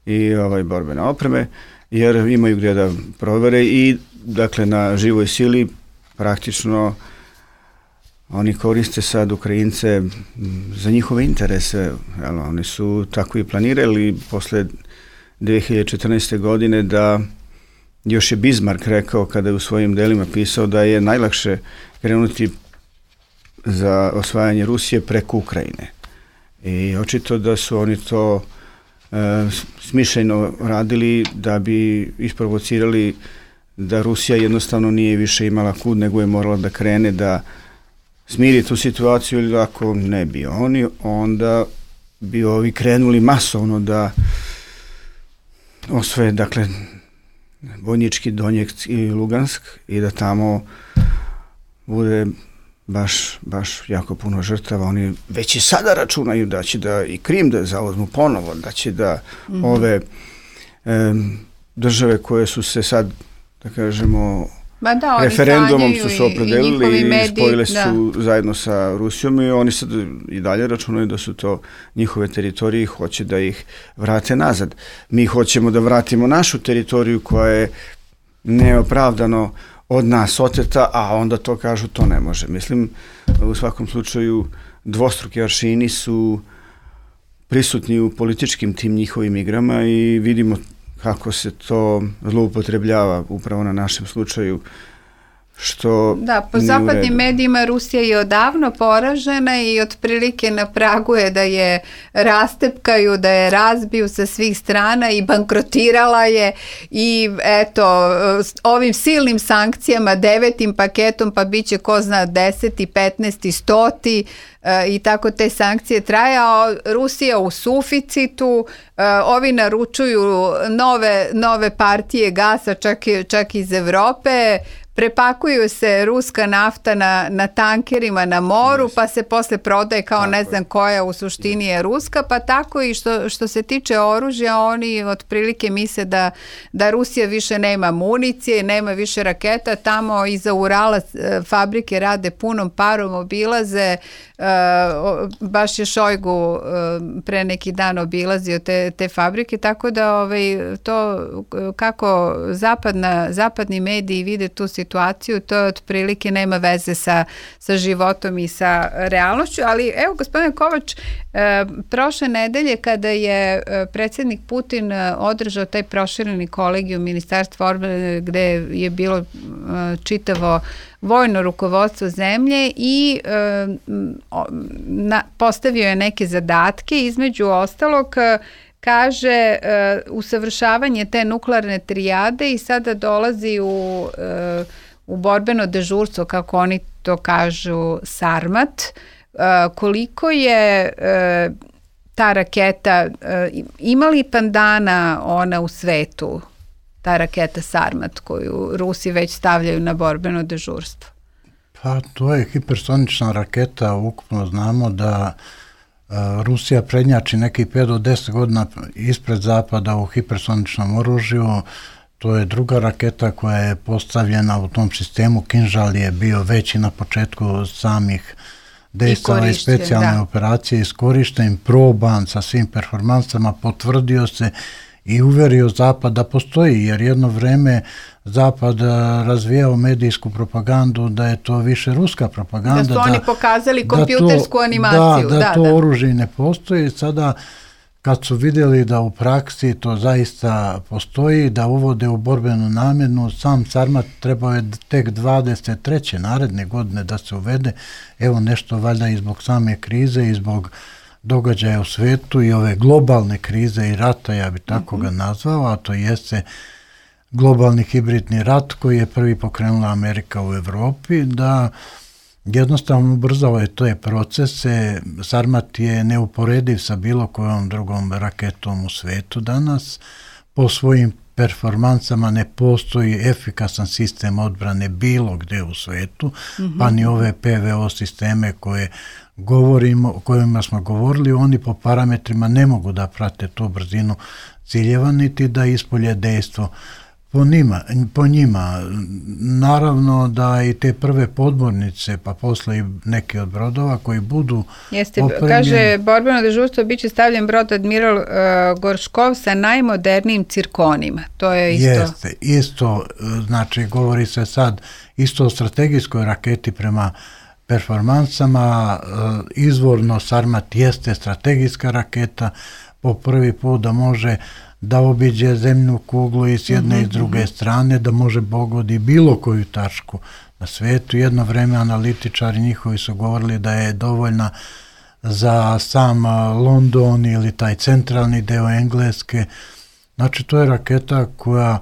S4: i borbene opreme, jer imaju gdje da provere i, dakle, na živoj sili praktično oni koriste sad Ukrajince za njihove interese. Oni su tako i planirali posle 2014. godine da još je Bismarck rekao kada je u svojim delima pisao da je najlakše krenuti za osvajanje Rusije preko Ukrajine. I očito da su oni to smišljeno radili da bi isprovocirali da Rusija jednostavno nije više imala kud, nego je morala da krene da smiri tu situaciju, ili ako ne bi oni, onda bi ovi krenuli masovno da osvoje, dakle, Vojnički Donjeck i Lugansk i da tamo bude baš jako puno žrtava. Oni već i sada računaju da će da i Krim da zauzmu ponovo, da će da ove države koje su se sad, da kažemo, referendumom su se opredelili i spojile su zajedno sa Rusijom i oni sad i dalje računaju da su to njihove teritorije i hoće da ih vrate nazad. Mi hoćemo da vratimo našu teritoriju koja je neopravdano od nas oteta, a onda to kažu to ne može. Mislim, u svakom slučaju dvostruki aršini su prisutni u političkim tim njihovim igrama i vidimo kako se to zloupotrebljava upravo na našem slučaju, što
S3: da, po zapadnim medijima Rusija je odavno poražena i otprilike na pragu je da je rastepkaju, da je razbiju sa svih strana i bankrotirala je i eto, ovim silnim sankcijama, 9. paketom, pa bit će ko zna 10., 15., 100. I tako te sankcije traje, a Rusija u suficitu, ovi naručuju nove partije gasa čak iz Evrope, prepakuju se ruska nafta na tankerima na moru, pa se posle prodaje kao ne znam koja u suštini je ruska, pa tako i što se tiče oružja, oni otprilike misle da Rusija više nema municije, nema više raketa, tamo iza Urala fabrike rade punom parom, obilaze, baš je Šojgu pre neki dan obilazio te fabrike, tako da to kako zapadni mediji vide tu situaciju, to otprilike nema veze sa životom i sa realnošću, ali evo gospodine Kovač, prošle nedelje kada je predsjednik Putin održao taj prošireni kolegijum Ministarstva odbrane gde je bilo čitavo vojno rukovodstvo zemlje i postavio je neke zadatke, između ostalog kaže usavršavanje te nuklearne trijade i sada dolazi u borbeno dežurstvo, kako oni to kažu, Sarmat. Koliko je ta raketa, ima li pandana ona u svetu, ta raketa Sarmat koju Rusi već stavljaju na borbeno dežurstvo?
S5: Pa to je hipersonična raketa, ukupno znamo da Rusija prednjači nekih 5 do 10 godina ispred Zapada u hipersoničnom oružju. To je druga raketa koja je postavljena u tom sistemu. Kinžal je bio veći na početku samih dejstava i specijalne operacije, iskorišten, proban sa svim performansama, potvrdio se i uverio Zapad da postoji, jer jedno vreme Zapad razvijao medijsku propagandu da je to više ruska propaganda.
S3: Da su oni pokazali kompjutersku animaciju.
S5: Da to oružje ne postoji. Sada kad su vidjeli da u praksi to zaista postoji, da uvode u borbenu namjenu, sam Sarmat trebao je tek 23. naredne godine da se uvede. Evo nešto valjda i zbog same krize i zbog događaja u svetu i ove globalne krize i rata, ja bi tako ga nazvao, a to jeste globalni hibridni rat koji je prvi pokrenula Amerika u Europi, da jednostavno ubrzao je te procese. Sarmat je neuporediv sa bilo kojom drugom raketom u svetu danas. Po svojim performansama ne postoji efikasan sistem odbrane bilo gdje u svetu, pa ni ove PVO sisteme o kojima smo govorili, oni po parametrima ne mogu da prate tu brzinu ciljeva niti da ispolje dejstvo po njima. Naravno da i te prve podmornice, pa posle i neki od brodova koji budu opremljeni.
S3: Kaže, borbeno dežurstvo biće stavljen brod Admiral Gorškov sa najmodernijim cirkonima. To je isto...
S5: Jeste, isto, znači govori se sad isto o strategijskoj raketi prema performansama. Izvorno Sarmat jeste strategijska raketa, po prvi put da može da obiđe zemljnu kuglu i s jedne i s druge strane, da može pogodi bilo koju tačku na svetu. Jedno vreme analitičari njihovi su govorili da je dovoljna za sam London ili taj centralni deo Engleske. Znači to je raketa koja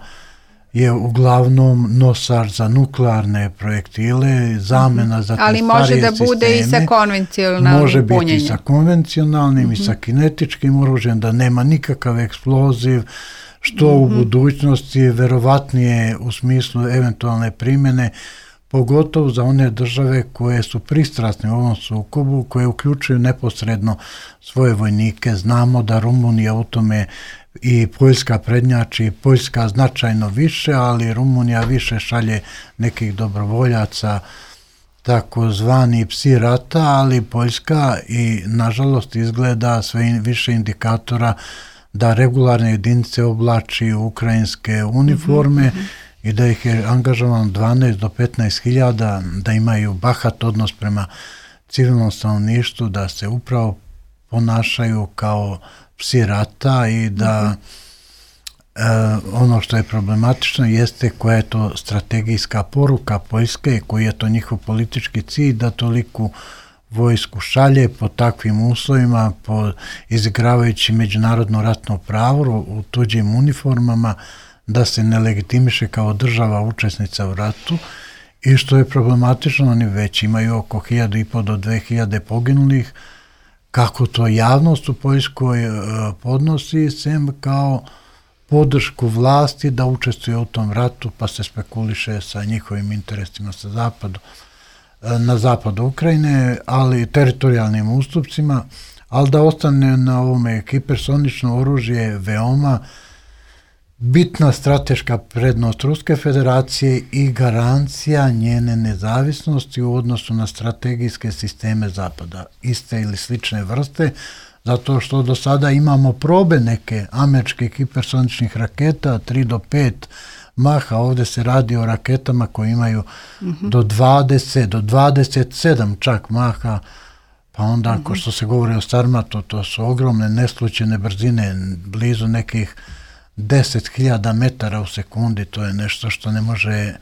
S5: je uglavnom nosač za nuklearne projektile, zamena za te starije sisteme.
S3: Ali može da bude i sa konvencionalnim punjenjem.
S5: Može biti i sa konvencionalnim i sa kinetičkim oružjem, da nema nikakav eksploziv, što u budućnosti je verovatnije u smislu eventualne primjene, pogotovo za one države koje su pristrasne u ovom sukobu, koje uključuju neposredno svoje vojnike. Znamo da Rumunija u tome i Poljska prednjači, Poljska značajno više, ali Rumunija više šalje nekih dobrovoljaca, takozvani psi rata, ali Poljska i nažalost izgleda sve više indikatora da regularne jedinice oblači ukrajinske uniforme i da ih je angažovano 12 do 15 hiljada, da imaju bahat odnos prema civilnom stanovništvu, da se upravo ponašaju kao psi rata i da ono što je problematično jeste koja je to strategijska poruka Poljske, koji je to njihov politički cilj da toliku vojsku šalje po takvim uslovima, izigravajući međunarodno ratno pravo u tuđim uniformama, da se ne legitimiše kao država učesnica u ratu. I što je problematično, oni već imaju oko 1.500 do 2.000 poginulih. Kako to javnost u Poljskoj podnosi, sem kao podršku vlasti da učestvuje u tom ratu, pa se spekuliše sa njihovim interesima na zapadu Ukrajine, ali teritorijalnim ustupcima, ali da ostane na ovome hipersonično oružje veoma bitna strateška prednost Ruske federacije i garancija njene nezavisnosti u odnosu na strategijske sisteme Zapada, iste ili slične vrste, zato što do sada imamo probe neke američkih hipersoničnih raketa, 3 do 5 maha, ovdje se radi o raketama koje imaju do 20, do 27 čak maha, pa onda ako što se govori o Sarmatu, to su ogromne neslučajne brzine, blizu nekih 10.000 metara u sekundi, to je nešto što ne može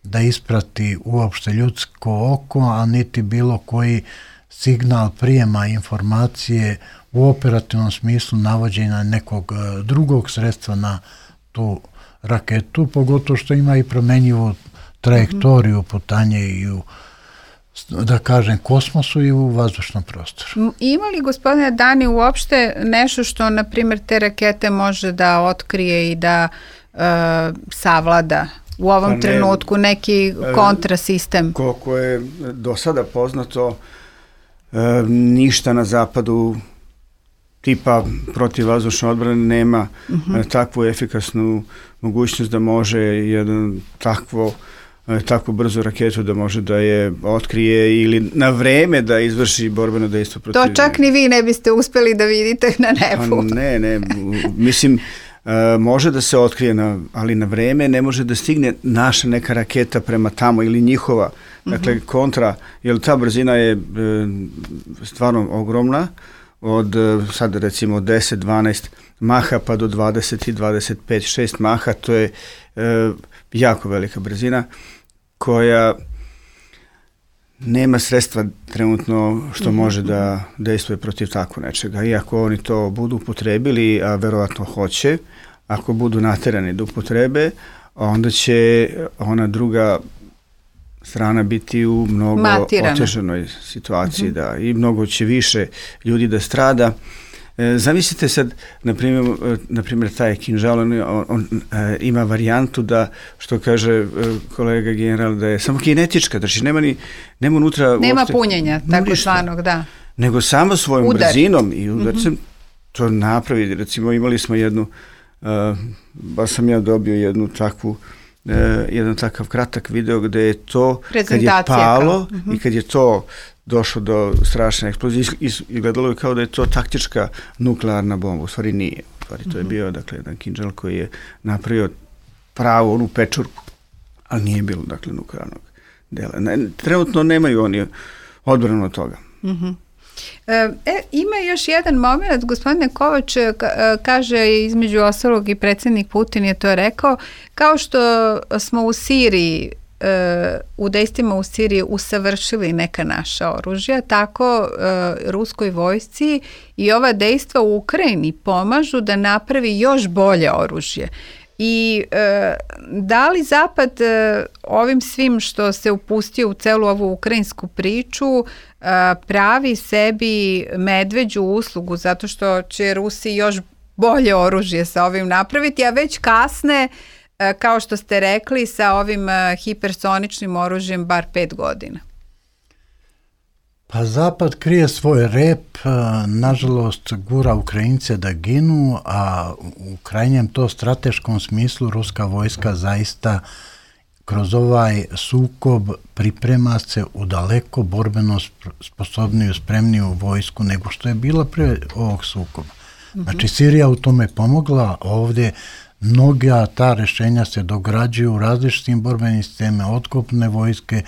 S5: da isprati uopšte ljudsko oko, a niti bilo koji signal prijema informacije u operativnom smislu navođenja nekog drugog sredstva na tu raketu, pogotovo što ima i promenjivu trajektoriju putanje i u, da kažem, kosmosu i u vazdušnom prostoru.
S3: Ima li, gospodine Dani, uopšte nešto što, na primjer, te rakete može da otkrije i da savlada u ovom trenutku neki kontrasistem?
S4: Koliko je do sada poznato, ništa na zapadu tipa protivvazdušne odbrane nema takvu efikasnu mogućnost da može jedan takvu brzu raketu da može da je otkrije ili na vreme da izvrši borbeno dejstvo protiv.
S3: To čak ni vi ne biste uspeli da vidite na nebu.
S4: Ne, mislim, može da se otkrije, ali na vreme ne može da stigne naša neka raketa prema tamo ili njihova. Dakle, kontra, jer ta brzina je stvarno ogromna, od sad recimo 10-12 maha pa do 20-25-6 maha, to je jako velika brzina koja nema sredstva trenutno što može da dejstvuje protiv tako nečega. Iako oni to budu upotrebili, a verovatno hoće, ako budu naterani da upotrebe, onda će ona druga strana biti u mnogo otežanoj situaciji, da, i mnogo će više ljudi da strada. Zamislite sad, na primjer taj kinžal, on ima varijantu da, što kaže kolega general, da je samo kinetička, znači nema unutra
S3: nema punjenja, tako zvanog, da.
S4: Nego samo svojom brzinom i udarcem to napravi. Recimo imali smo baš sam ja dobio jedan takav kratak video gde je to, kad je palo i kad je to došlo do strašne eksplozije i gledalo je kao da je to taktička nuklearna bomba. U stvari nije. U stvari to je bio, dakle, jedan kinžal koji je napravio pravu onu pečurku, ali nije bilo, dakle, nuklearnog dela. Trenutno nemaju oni odbranu od toga.
S3: Ima još jedan moment, gospodine Kovač, kaže između ostalog i predsjednik Putin je to rekao, kao što smo u Siriji, u dejstvima u Siriji usavršili neka naša oružja, tako ruskoj vojsci i ova dejstva u Ukrajini pomažu da napravi još bolje oružje. I da li Zapad ovim svim što se upustio u celu ovu ukrajinsku priču pravi sebi medveđu uslugu zato što će Rusi još bolje oružje sa ovim napraviti, a već kasne, kao što ste rekli, sa ovim hipersoničnim oružjem bar 5 godina?
S5: Pa Zapad krije svoj rep, nažalost gura Ukrajince da ginu, a u krajnjem to strateškom smislu ruska vojska zaista kroz ovaj sukob priprema se u daleko borbeno sposobniju, spremniju vojsku nego što je bila prije ovog sukoba. Znači Sirija u tome pomogla, ovdje mnoga ta rješenja se dograđuju u različitim borbenim sistemima, od kopnene vojske,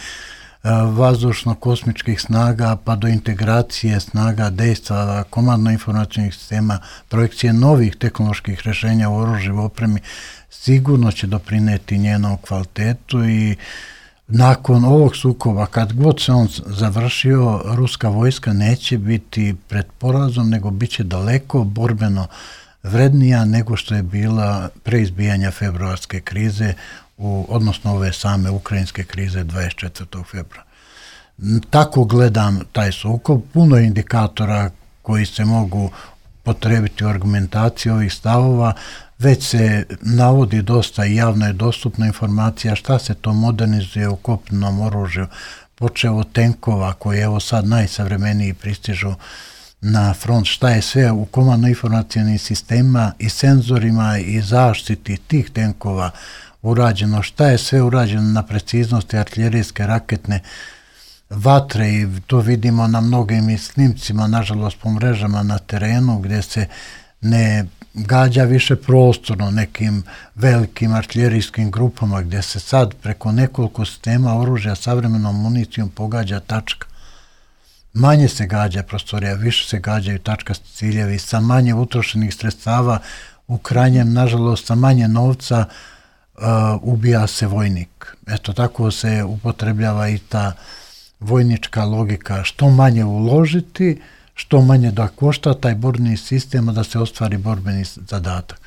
S5: vazdušno-kosmičkih snaga pa do integracije snaga dejstva, komandno-informacijnih sistema, projekcije novih tehnoloških rješenja u oružju, opremi, sigurno će doprineti njenom kvalitetu i nakon ovog sukoba, kad god se on završio, ruska vojska neće biti pred porazom, nego bit će daleko borbeno vrednija nego što je bila pre izbijanja februarske krize, odnosno ove same ukrajinske krize 24. februara. Tako gledam taj sukob, puno indikatora koji se mogu potrebiti u argumentaciji ovih stavova, već se navodi dosta i javno je dostupna informacija šta se to modernizuje u kopnenom oružju, počeo od tenkova koji evo sad najsavremeniji pristižu na front, šta je sve u komandno-informacijnim sistemima i senzorima i zaštiti tih tenkova urađeno, šta je sve urađeno na preciznosti artiljerijske raketne vatre i to vidimo na mnogim snimcima, nažalost po mrežama na terenu gdje se ne gađa više prostorno nekim velikim artiljerijskim grupama gdje se sad preko nekoliko sistema oružja savremenom municijom pogađa tačka. Manje se gađa prostorija, više se gađaju tačkasti ciljevi, sa manje utrošenih sredstava, u krajnjem, nažalost, sa manje novca ubija se vojnik. Eto, tako se upotrebljava i ta vojnička logika, što manje uložiti, što manje da košta taj borbeni sistem, da se ostvari borbeni zadatak.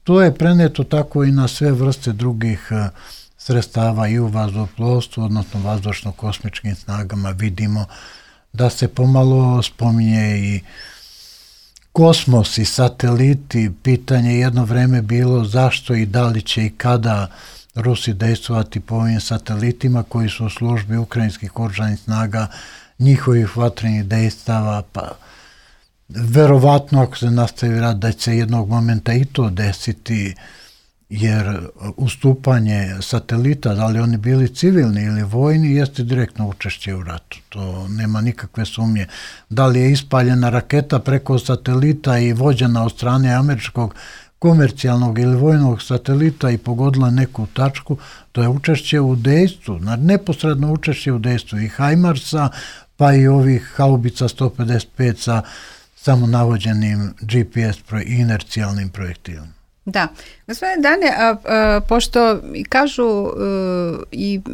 S5: To je preneto tako i na sve vrste drugih sredstava i u vazduhoplovstvu, odnosno vazdušno-kosmičkim snagama. Vidimo da se pomalo spominje i kosmos i sateliti. Pitanje jedno vreme bilo zašto i da li će i kada Rusi dejstvovati po ovim satelitima koji su u službi ukrajinskih oružanih snaga. njihovih vatrenih dejstava, pa verovatno ako se nastavi rat da će se jednog momenta i to desiti, jer ustupanje satelita, da li oni bili civilni ili vojni, jeste direktno učešće u ratu. To nema nikakve sumnje. Da li je ispaljena raketa preko satelita i vođena od strane američkog komercijalnog ili vojnog satelita i pogodila neku tačku, to je učešće u dejstvu, neposredno učešće u dejstvu i HIMARS-a, pa i ovih haubica 155 sa samonavođenim GPS i inercijalnim projektilima.
S3: Da. Gospodine Dane, pošto kažu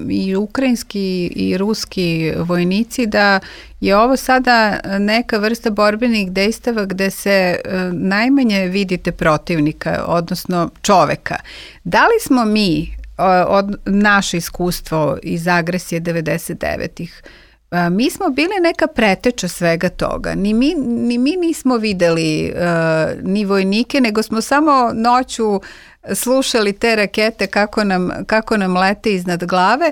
S3: i ukrajinski i ruski vojnici da je ovo sada neka vrsta borbenih dejstava gde se najmanje vidite protivnika, odnosno čoveka. Da li smo mi, od naše iskustvo iz agresije 99-ih, mi smo bili neka preteča svega toga. Ni mi nismo videli ni vojnike, nego smo samo noću slušali te rakete kako nam lete iznad glave.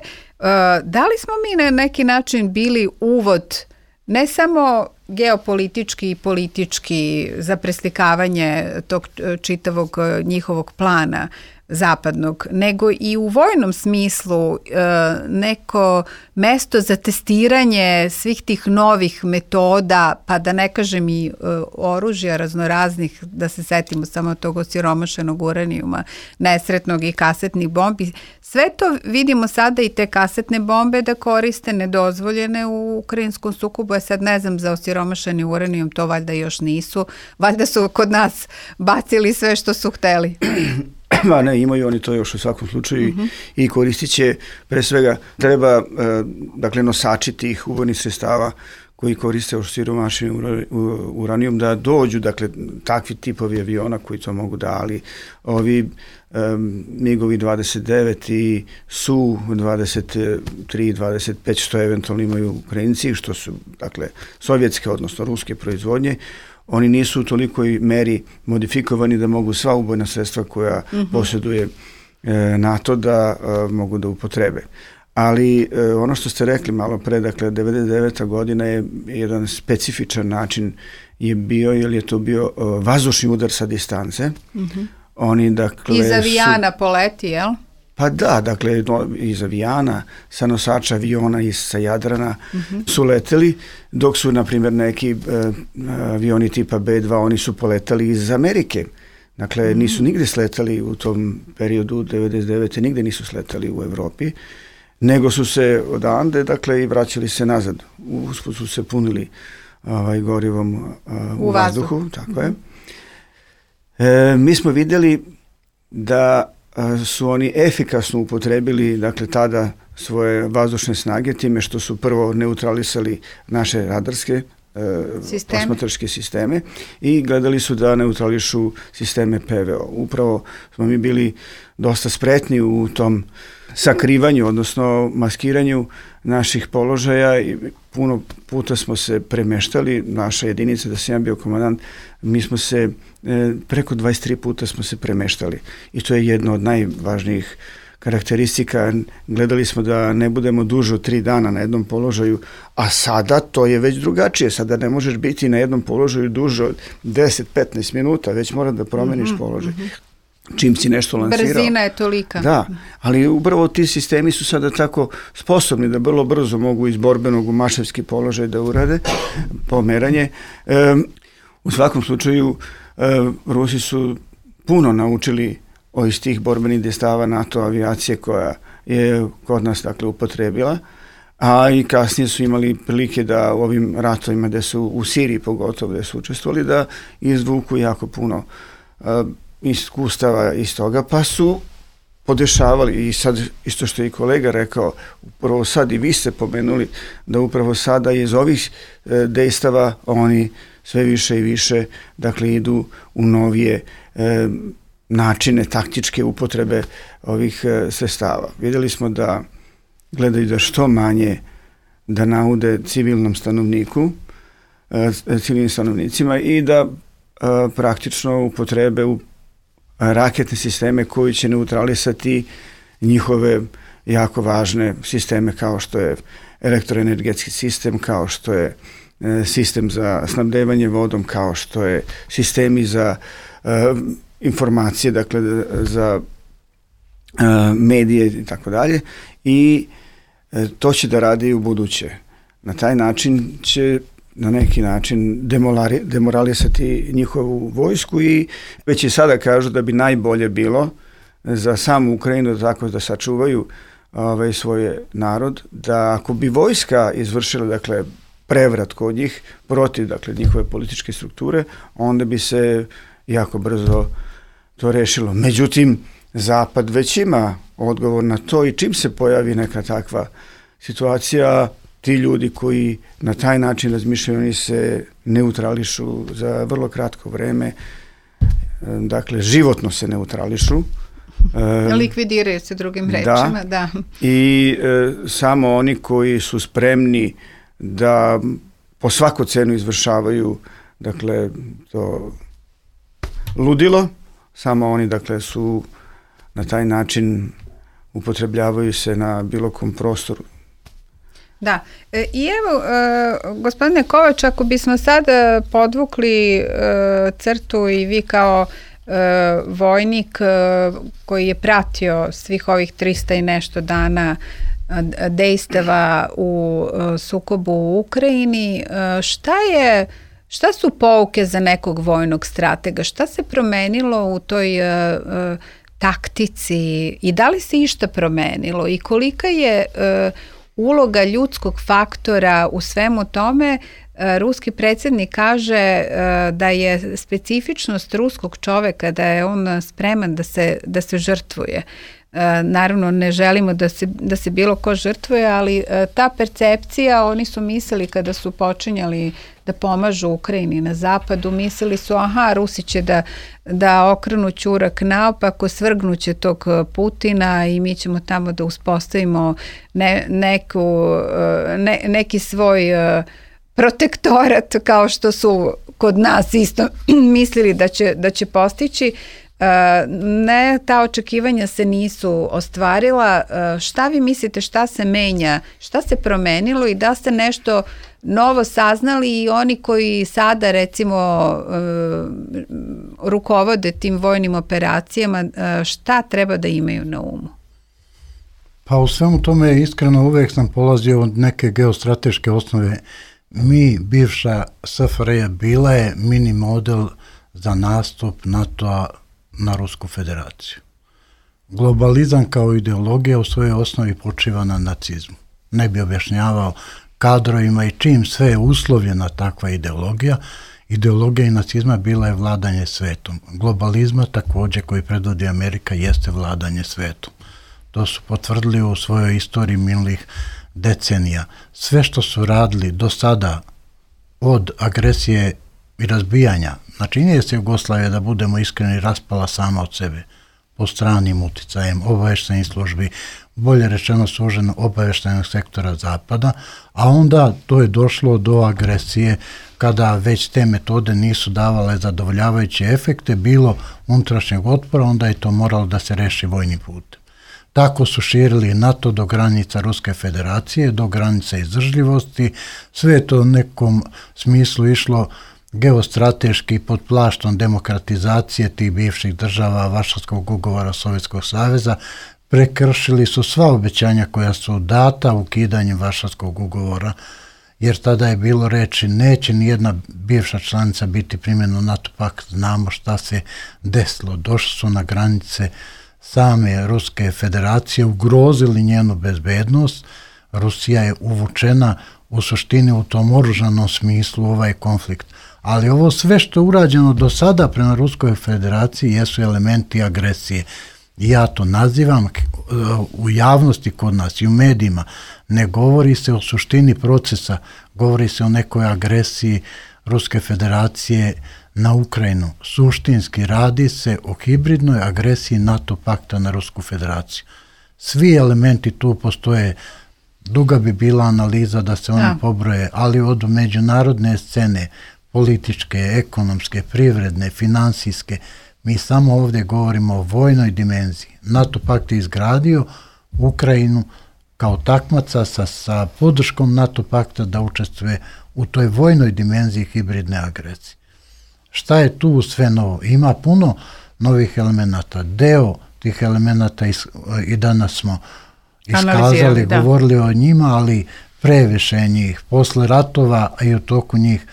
S3: Da li smo mi na neki način bili uvod ne samo geopolitički i politički za preslikavanje tog čitavog njihovog plana zapadnog, nego i u vojnom smislu neko mesto za testiranje svih tih novih metoda, pa da ne kažem i oružja raznoraznih, da se setimo samo tog osiromašenog uranijuma, nesretnog i kasetnih bombi. Sve to vidimo sada i te kasetne bombe da koriste nedozvoljene u ukrajinskom sukobu. Ja sad ne znam za osiromašeni uranijum, to valjda još nisu. Valjda su kod nas bacili sve što su hteli.
S4: Ma ne, imaju oni to još u svakom slučaju i koristit će, pre svega treba dakle nosači tih ubojnih sredstava koji koriste osiromašeni uranijum da dođu, dakle takvi tipovi aviona koji to mogu da, ali ovi MiG-ovi 29 i Su-23, 25 što eventualno imaju Ukrajinci, što su dakle sovjetske odnosno ruske proizvodnje, oni nisu u tolikoj meri modifikovani da mogu sva ubojna sredstva koja posjeduje NATO da mogu da upotrebe. Ali ono što ste rekli malo pre, dakle 99. godina je jedan specifičan način je bio, jer je to bio vazdušni udar sa distance. Oni, dakle,
S3: iz avijana poleti, jel?
S4: Pa da, dakle, iz avijana, sa nosača aviona i sa Jadrana su leteli, dok su, na primjer, neki avioni tipa B-2, oni su poletali iz Amerike. Dakle, nisu nigde sletali u tom periodu 99. nigde nisu sletali u Evropi, nego su se odande, dakle, i vraćali se nazad. Usput su se punili gorivom u vazduhu, tako je. Mi smo vidjeli da su oni efikasno upotrebili, dakle, tada svoje vazdušne snage time što su prvo neutralisali naše radarske posmatračke sisteme i gledali su da neutrališu sisteme PVO. Upravo smo mi bili dosta spretni u tom sakrivanju, odnosno maskiranju naših položaja i puno puta smo se premeštali, naša jedinica, da sam ja bio komandant, mi smo se preko 23 puta smo se premeštali i to je jedno od najvažnijih karakteristika. Gledali smo da ne budemo duže od 3 dana na jednom položaju, a sada to je već drugačije. Sada ne možeš biti na jednom položaju duže od 10-15 minuta, već mora da promeniš položaj. Čim si nešto lansirao.
S3: Brzina je tolika.
S4: Da, ali upravo ti sistemi su sada tako sposobni da vrlo brzo mogu iz borbenog u maševski položaj da urade pomeranje. U svakom slučaju Rusi su puno naučili iz tih borbenih dejstava NATO avijacije koja je kod nas dakle upotrebila, a i kasnije su imali prilike da u ovim ratovima gde su u Siriji pogotovo gde su učestvovali da izvuku jako puno iskustava iz toga, pa su podešavali i sad isto što je i kolega rekao, upravo sad i vi ste pomenuli da upravo sada iz ovih dejstava oni sve više i više dakle idu u novije načine taktičke upotrebe ovih sredstava. Vidjeli smo da gledaju da što manje da naude civilnim stanovnicima i da praktično upotrebe u raketne sisteme koji će neutralisati njihove jako važne sisteme kao što je elektroenergetski sistem, kao što je sistem za snabdevanje vodom, kao što je sistemi za informacije, dakle za medije i tako dalje, i to će da radi i u buduće. Na taj način će na neki način demoralisati njihovu vojsku i već i sada kažu da bi najbolje bilo za samu Ukrajinu tako da sačuvaju svoj narod, da ako bi vojska izvršila dakle prevrat kod njih protiv dakle njihove političke strukture, onda bi se jako brzo to rešilo. Međutim, Zapad već ima odgovor na to i čim se pojavi neka takva situacija, ti ljudi koji na taj način razmišljaju, oni se neutrališu za vrlo kratko vreme, dakle životno se neutrališu.
S3: Likvidiraju se drugim rečima, da.
S4: I samo oni koji su spremni da po svaku cenu izvršavaju dakle to ludilo, samo oni dakle su na taj način upotrebljavaju se na bilo kom prostoru.
S3: Da, i evo, gospodine Kovač, ako bismo sad podvukli crtu i vi kao vojnik koji je pratio svih ovih 300 i nešto dana dejstava u sukobu u Ukrajini, šta su pouke za nekog vojnog stratega? Šta se promenilo u toj taktici i da li se išta promenilo i kolika je uloga ljudskog faktora u svemu tome? Ruski predsjednik kaže da je specifičnost ruskog čoveka da je on spreman da se žrtvuje. Naravno, ne želimo da se bilo ko žrtvuje, ali ta percepcija, oni su mislili kada su počinjali da pomažu Ukrajini na zapadu, mislili su Rusi će da okrenu ćurak naopako, svrgnuće tog Putina i mi ćemo tamo da uspostavimo neki svoj protektorat kao što su kod nas isto mislili da će postići. Ne, ta očekivanja se nisu ostvarila. Šta vi mislite, šta se menja, šta se promenilo i da ste nešto novo saznali i oni koji sada recimo rukovode tim vojnim operacijama, šta treba da imaju na umu?
S5: Pa u svemu tome iskreno uvek sam polazio od neke geostrateške osnove. Bivša SFRJ bila je mini model za nastup NATO-a na Rusku federaciju. Globalizam kao ideologija u svojoj osnovi počiva na nacizmu. Ne bi objašnjavao kadrovima i čim sve je uslovljena takva ideologija. Ideologija i nacizma bila je vladanje svetom. Globalizma također koji predvodi Amerika jeste vladanje svetom. To su potvrdili u svojoj istoriji minulih decenija. Sve što su radili do sada od agresije i razbijanja, znači nije se Jugoslavija, da budemo iskreni, raspala sama od sebe po stranim uticajem obavještajnih službi, bolje rečeno suženo obavještajnog sektora Zapada, a onda to je došlo do agresije kada već te metode nisu davale zadovoljavajuće efekte, bilo unutrašnjeg otpora, onda je to moralo da se reši vojnim putem. Tako su širili NATO do granica Ruske federacije, do granica izdržljivosti, sve je to u nekom smislu išlo geostrateški pod plaštom demokratizacije tih bivših država Varšavskog ugovora Sovjetskog saveza, prekršili su sva obećanja koja su data ukidanjem Varšavskog ugovora, jer tada je bilo reči neće nijedna bivša članica biti primljena u NATO pakt, znamo šta se desilo, došli su na granice same Ruske federacije, ugrozili njenu bezbednost, Rusija je uvučena u suštini u tom oružanom smislu ovaj konflikt. Ali ovo sve što je urađeno do sada prema Ruskoj federaciji jesu elementi agresije. Ja to nazivam u javnosti kod nas i u medijima. Ne govori se o suštini procesa, govori se o nekoj agresiji Ruske federacije na Ukrajinu. Suštinski radi se o hibridnoj agresiji NATO pakta na Rusku federaciju. Svi elementi tu postoje. Duga bi bila analiza da se oni pobroje, ali od međunarodne scene, političke, ekonomske, privredne, finansijske, mi samo ovdje govorimo o vojnoj dimenziji. NATO pakt je izgradio Ukrajinu kao takmaca sa podrškom NATO pakta da učestvuje u toj vojnoj dimenziji hibridne agresije. Šta je tu sve novo? Ima puno novih elemenata. Deo tih elemenata i danas smo iskazali, govorili o njima, ali previše njih. Posle ratova, a i u toku njih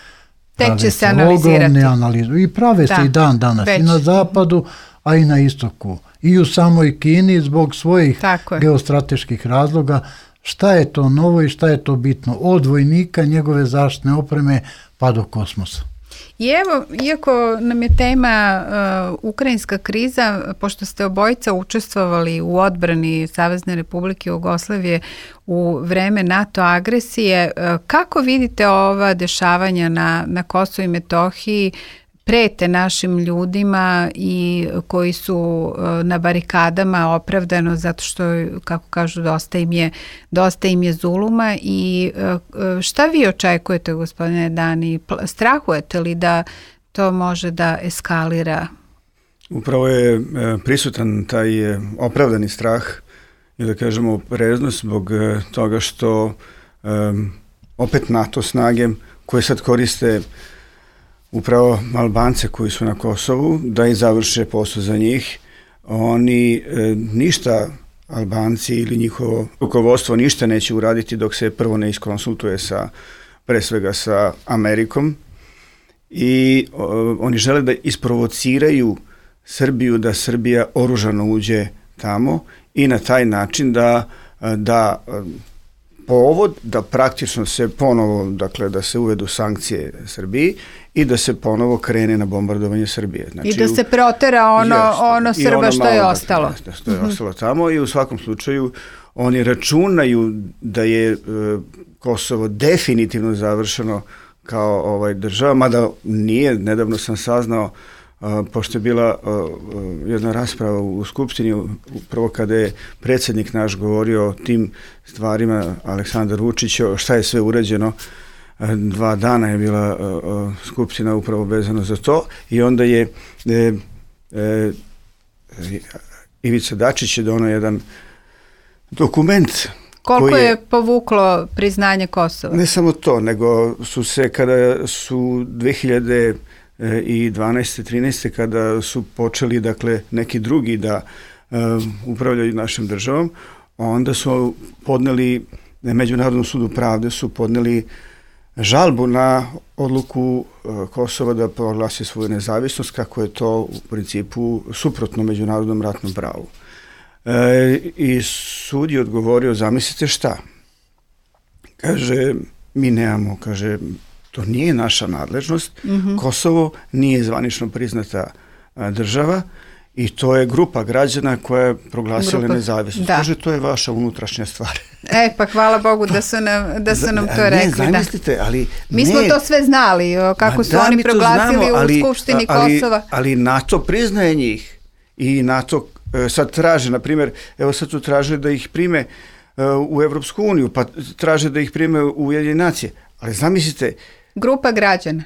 S3: tek će se analizirati.
S5: I prave se i dan danas i na zapadu, a i na istoku. I u samoj Kini zbog svojih geostrateških razloga. Šta je to novo i šta je to bitno? Od vojnika, njegove zaštitne opreme pa do kosmosa.
S3: I evo, iako nam je tema ukrajinska kriza, pošto ste obojica učestvovali u odbrani Savezne Republike Jugoslavije u vreme NATO agresije, kako vidite ova dešavanja na Kosovu i Metohiji prete našim ljudima i koji su na barikadama opravdano zato što, kako kažu, dosta im je zuluma i šta vi očekujete, gospodine Dani? Strahujete li da to može da eskalira?
S4: Upravo je prisutan taj opravdani strah i da kažemo opreznost zbog toga što opet NATO snage koje sad koriste upravo Albance koji su na Kosovu, da i završe posao za njih. Oni ništa, Albanci ili njihovo rukovodstvo, ništa neće uraditi dok se prvo ne iskonsultuje pre svega sa Amerikom. I oni žele da isprovociraju Srbiju, da Srbija oružano uđe tamo i na taj način da povod da praktično se ponovo, dakle da se uvedu sankcije Srbiji i da se ponovo krene na bombardovanje Srbije. Znači,
S3: i da se protera ono Srba što je ostalo.
S4: Dakle, što je ostalo tamo i u svakom slučaju oni računaju da je Kosovo definitivno završeno kao država, mada nije, nedavno sam saznao, pošto je bila jedna rasprava u Skupštini, upravo kada je predsjednik naš govorio o tim stvarima, Aleksandar Vučić, šta je sve urađeno, 2 dana je bila Skupština upravo vezano za to i onda je Ivica Dačić je donao jedan dokument.
S3: Koliko je povuklo priznanje Kosova?
S4: Ne samo to, nego su se kada su 2012. 13. kada su počeli, dakle, neki drugi da upravljaju našom državom, onda su podneli, Međunarodnom sudu pravde su podneli žalbu na odluku Kosova da proglasi svoju nezavisnost, kako je to u principu suprotno međunarodnom ratnom pravu. I sud je odgovorio, zamislite šta? Kaže, mi nemamo, kaže, to nije naša nadležnost. Kosovo nije zvanično priznata država i to je grupa građana koja je proglasila nezavisnost. Kaže, to je vaša unutrašnja stvar.
S3: Pa hvala Bogu da su nam to rekli.
S4: Ne, zamislite, ali...
S3: Mi smo to sve znali, kako su oni proglasili u Skupštini Kosova.
S4: Ali NATO priznaje njih i NATO sad traže, na primjer, evo sad su tražili da ih prime u Evropsku uniju, pa traže da ih prime u Ujedinjene nacije. Ali zamislite...
S3: Grupa građana.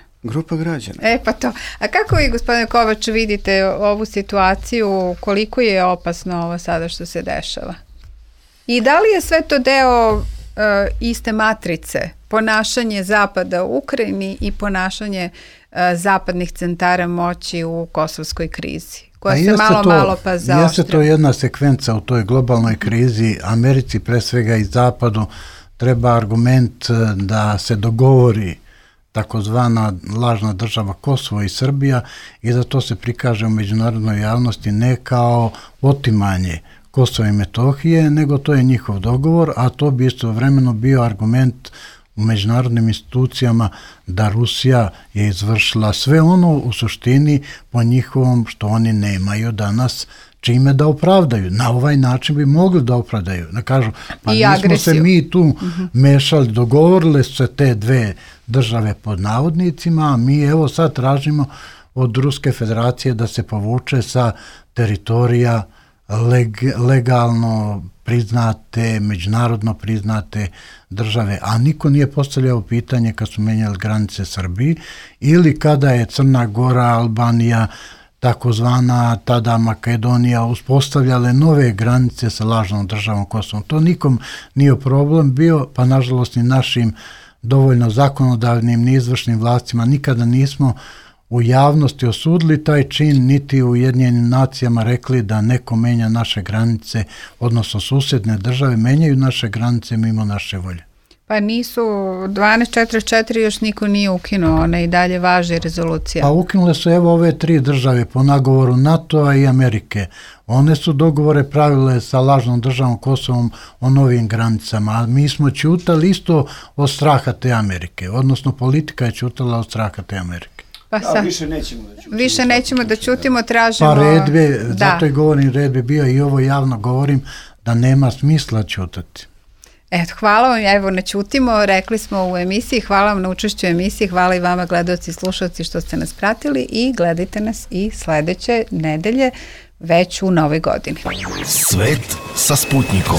S3: Pa to. A kako vi, gospodine Kovač, vidite ovu situaciju, koliko je opasno ovo sada što se dešava? I da li je sve to deo iste matrice, ponašanje Zapada u Ukrajini i ponašanje zapadnih centara moći u kosovskoj krizi, koja se malo pa zaoštra?
S5: Jeste to jedna sekvenca u toj globalnoj krizi. Americi, pre svega i Zapadu, treba argument da se dogovori takozvana lažna država Kosovo i Srbija i da to se prikaže u međunarodnoj javnosti ne kao otimanje Kosova i Metohije, nego to je njihov dogovor, a to bi istovremeno bio argument u međunarodnim institucijama da Rusija je izvršila sve ono u suštini po njihovom što oni nemaju danas čime da opravdaju. Na ovaj način bi mogli da opravdaju. Da kažu, pa nismo se mi tu mešali, dogovorile su se te dve države pod navodnicima, a mi evo sad tražimo od Ruske federacije da se povuče sa teritorija legalno priznate, međunarodno priznate države, a niko nije postavljao pitanje kad su menjali granice Srbiji ili kada je Crna Gora, Albanija takozvana tada Makedonija uspostavljale nove granice sa lažnom državom Kosovom. To nikom nije problem bio, pa nažalost ni našim dovoljno zakonodavnim ni izvršnim vlastima nikada nismo u javnosti osudili taj čin, niti u Ujedinjenim nacijama rekli da neko menja naše granice, odnosno susjedne države menjaju naše granice mimo naše volje.
S3: Pa nisu, 1244 još niko nije ukinuo, ona i dalje važi rezolucija.
S5: Pa ukinule su evo ove 3 države po nagovoru NATO-a i Amerike. One su dogovore pravile sa lažnom državom Kosovom o novim granicama, a mi smo ćutali isto od straha te Amerike, odnosno politika je ćutala od straha te Amerike.
S3: Pa više nećemo da ćutimo, tražimo...
S5: Pa red bi, zato i govorim, red bi bio i ovo javno govorim da nema smisla ćutati.
S3: Eto, hvala vam, evo ne ćutimo, rekli smo u emisiji, hvala vam na učešću u emisiji, hvala i vama gledaoci i slušalci što ste nas pratili i gledajte nas i sledeće nedelje već u novoj godini.
S1: Svet sa Sputnikom.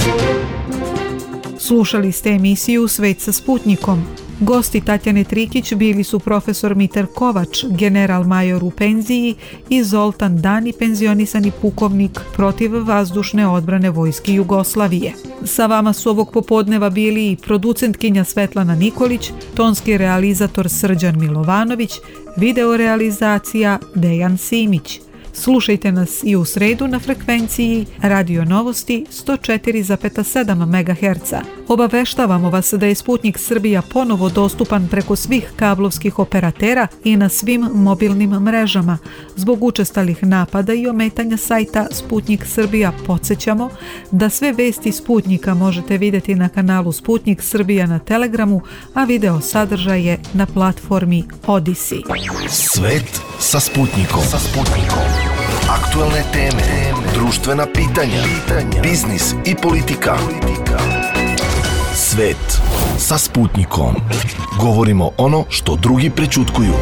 S2: Slušali ste emisiju Svet sa Sputnikom. Gosti Tatjane Trikić bili su profesor Mitar Kovač, general major u penziji i Zoltan Dani, penzionisani pukovnik protivvazdušne odbrane Vojske Jugoslavije. Sa vama su ovog popodneva bili i producentkinja Svetlana Nikolić, tonski realizator Srđan Milovanović, videorealizacija Dejan Simić. Slušajte nas i u sredu na frekvenciji Radio Novosti 104,7 MHz. Obaveštavamo vas da je Sputnik Srbija ponovo dostupan preko svih kablovskih operatera i na svim mobilnim mrežama. Zbog učestalih napada i ometanja sajta Sputnik Srbija podsjećamo da sve vesti Sputnika možete vidjeti na kanalu Sputnik Srbija na Telegramu, a video sadržaj je na platformi Odyssey.
S1: Svet sa Sputnikom. Aktualne teme, društvena pitanja, biznis i politika. Svet sa Sputnikom. Govorimo ono što drugi prećutkuju.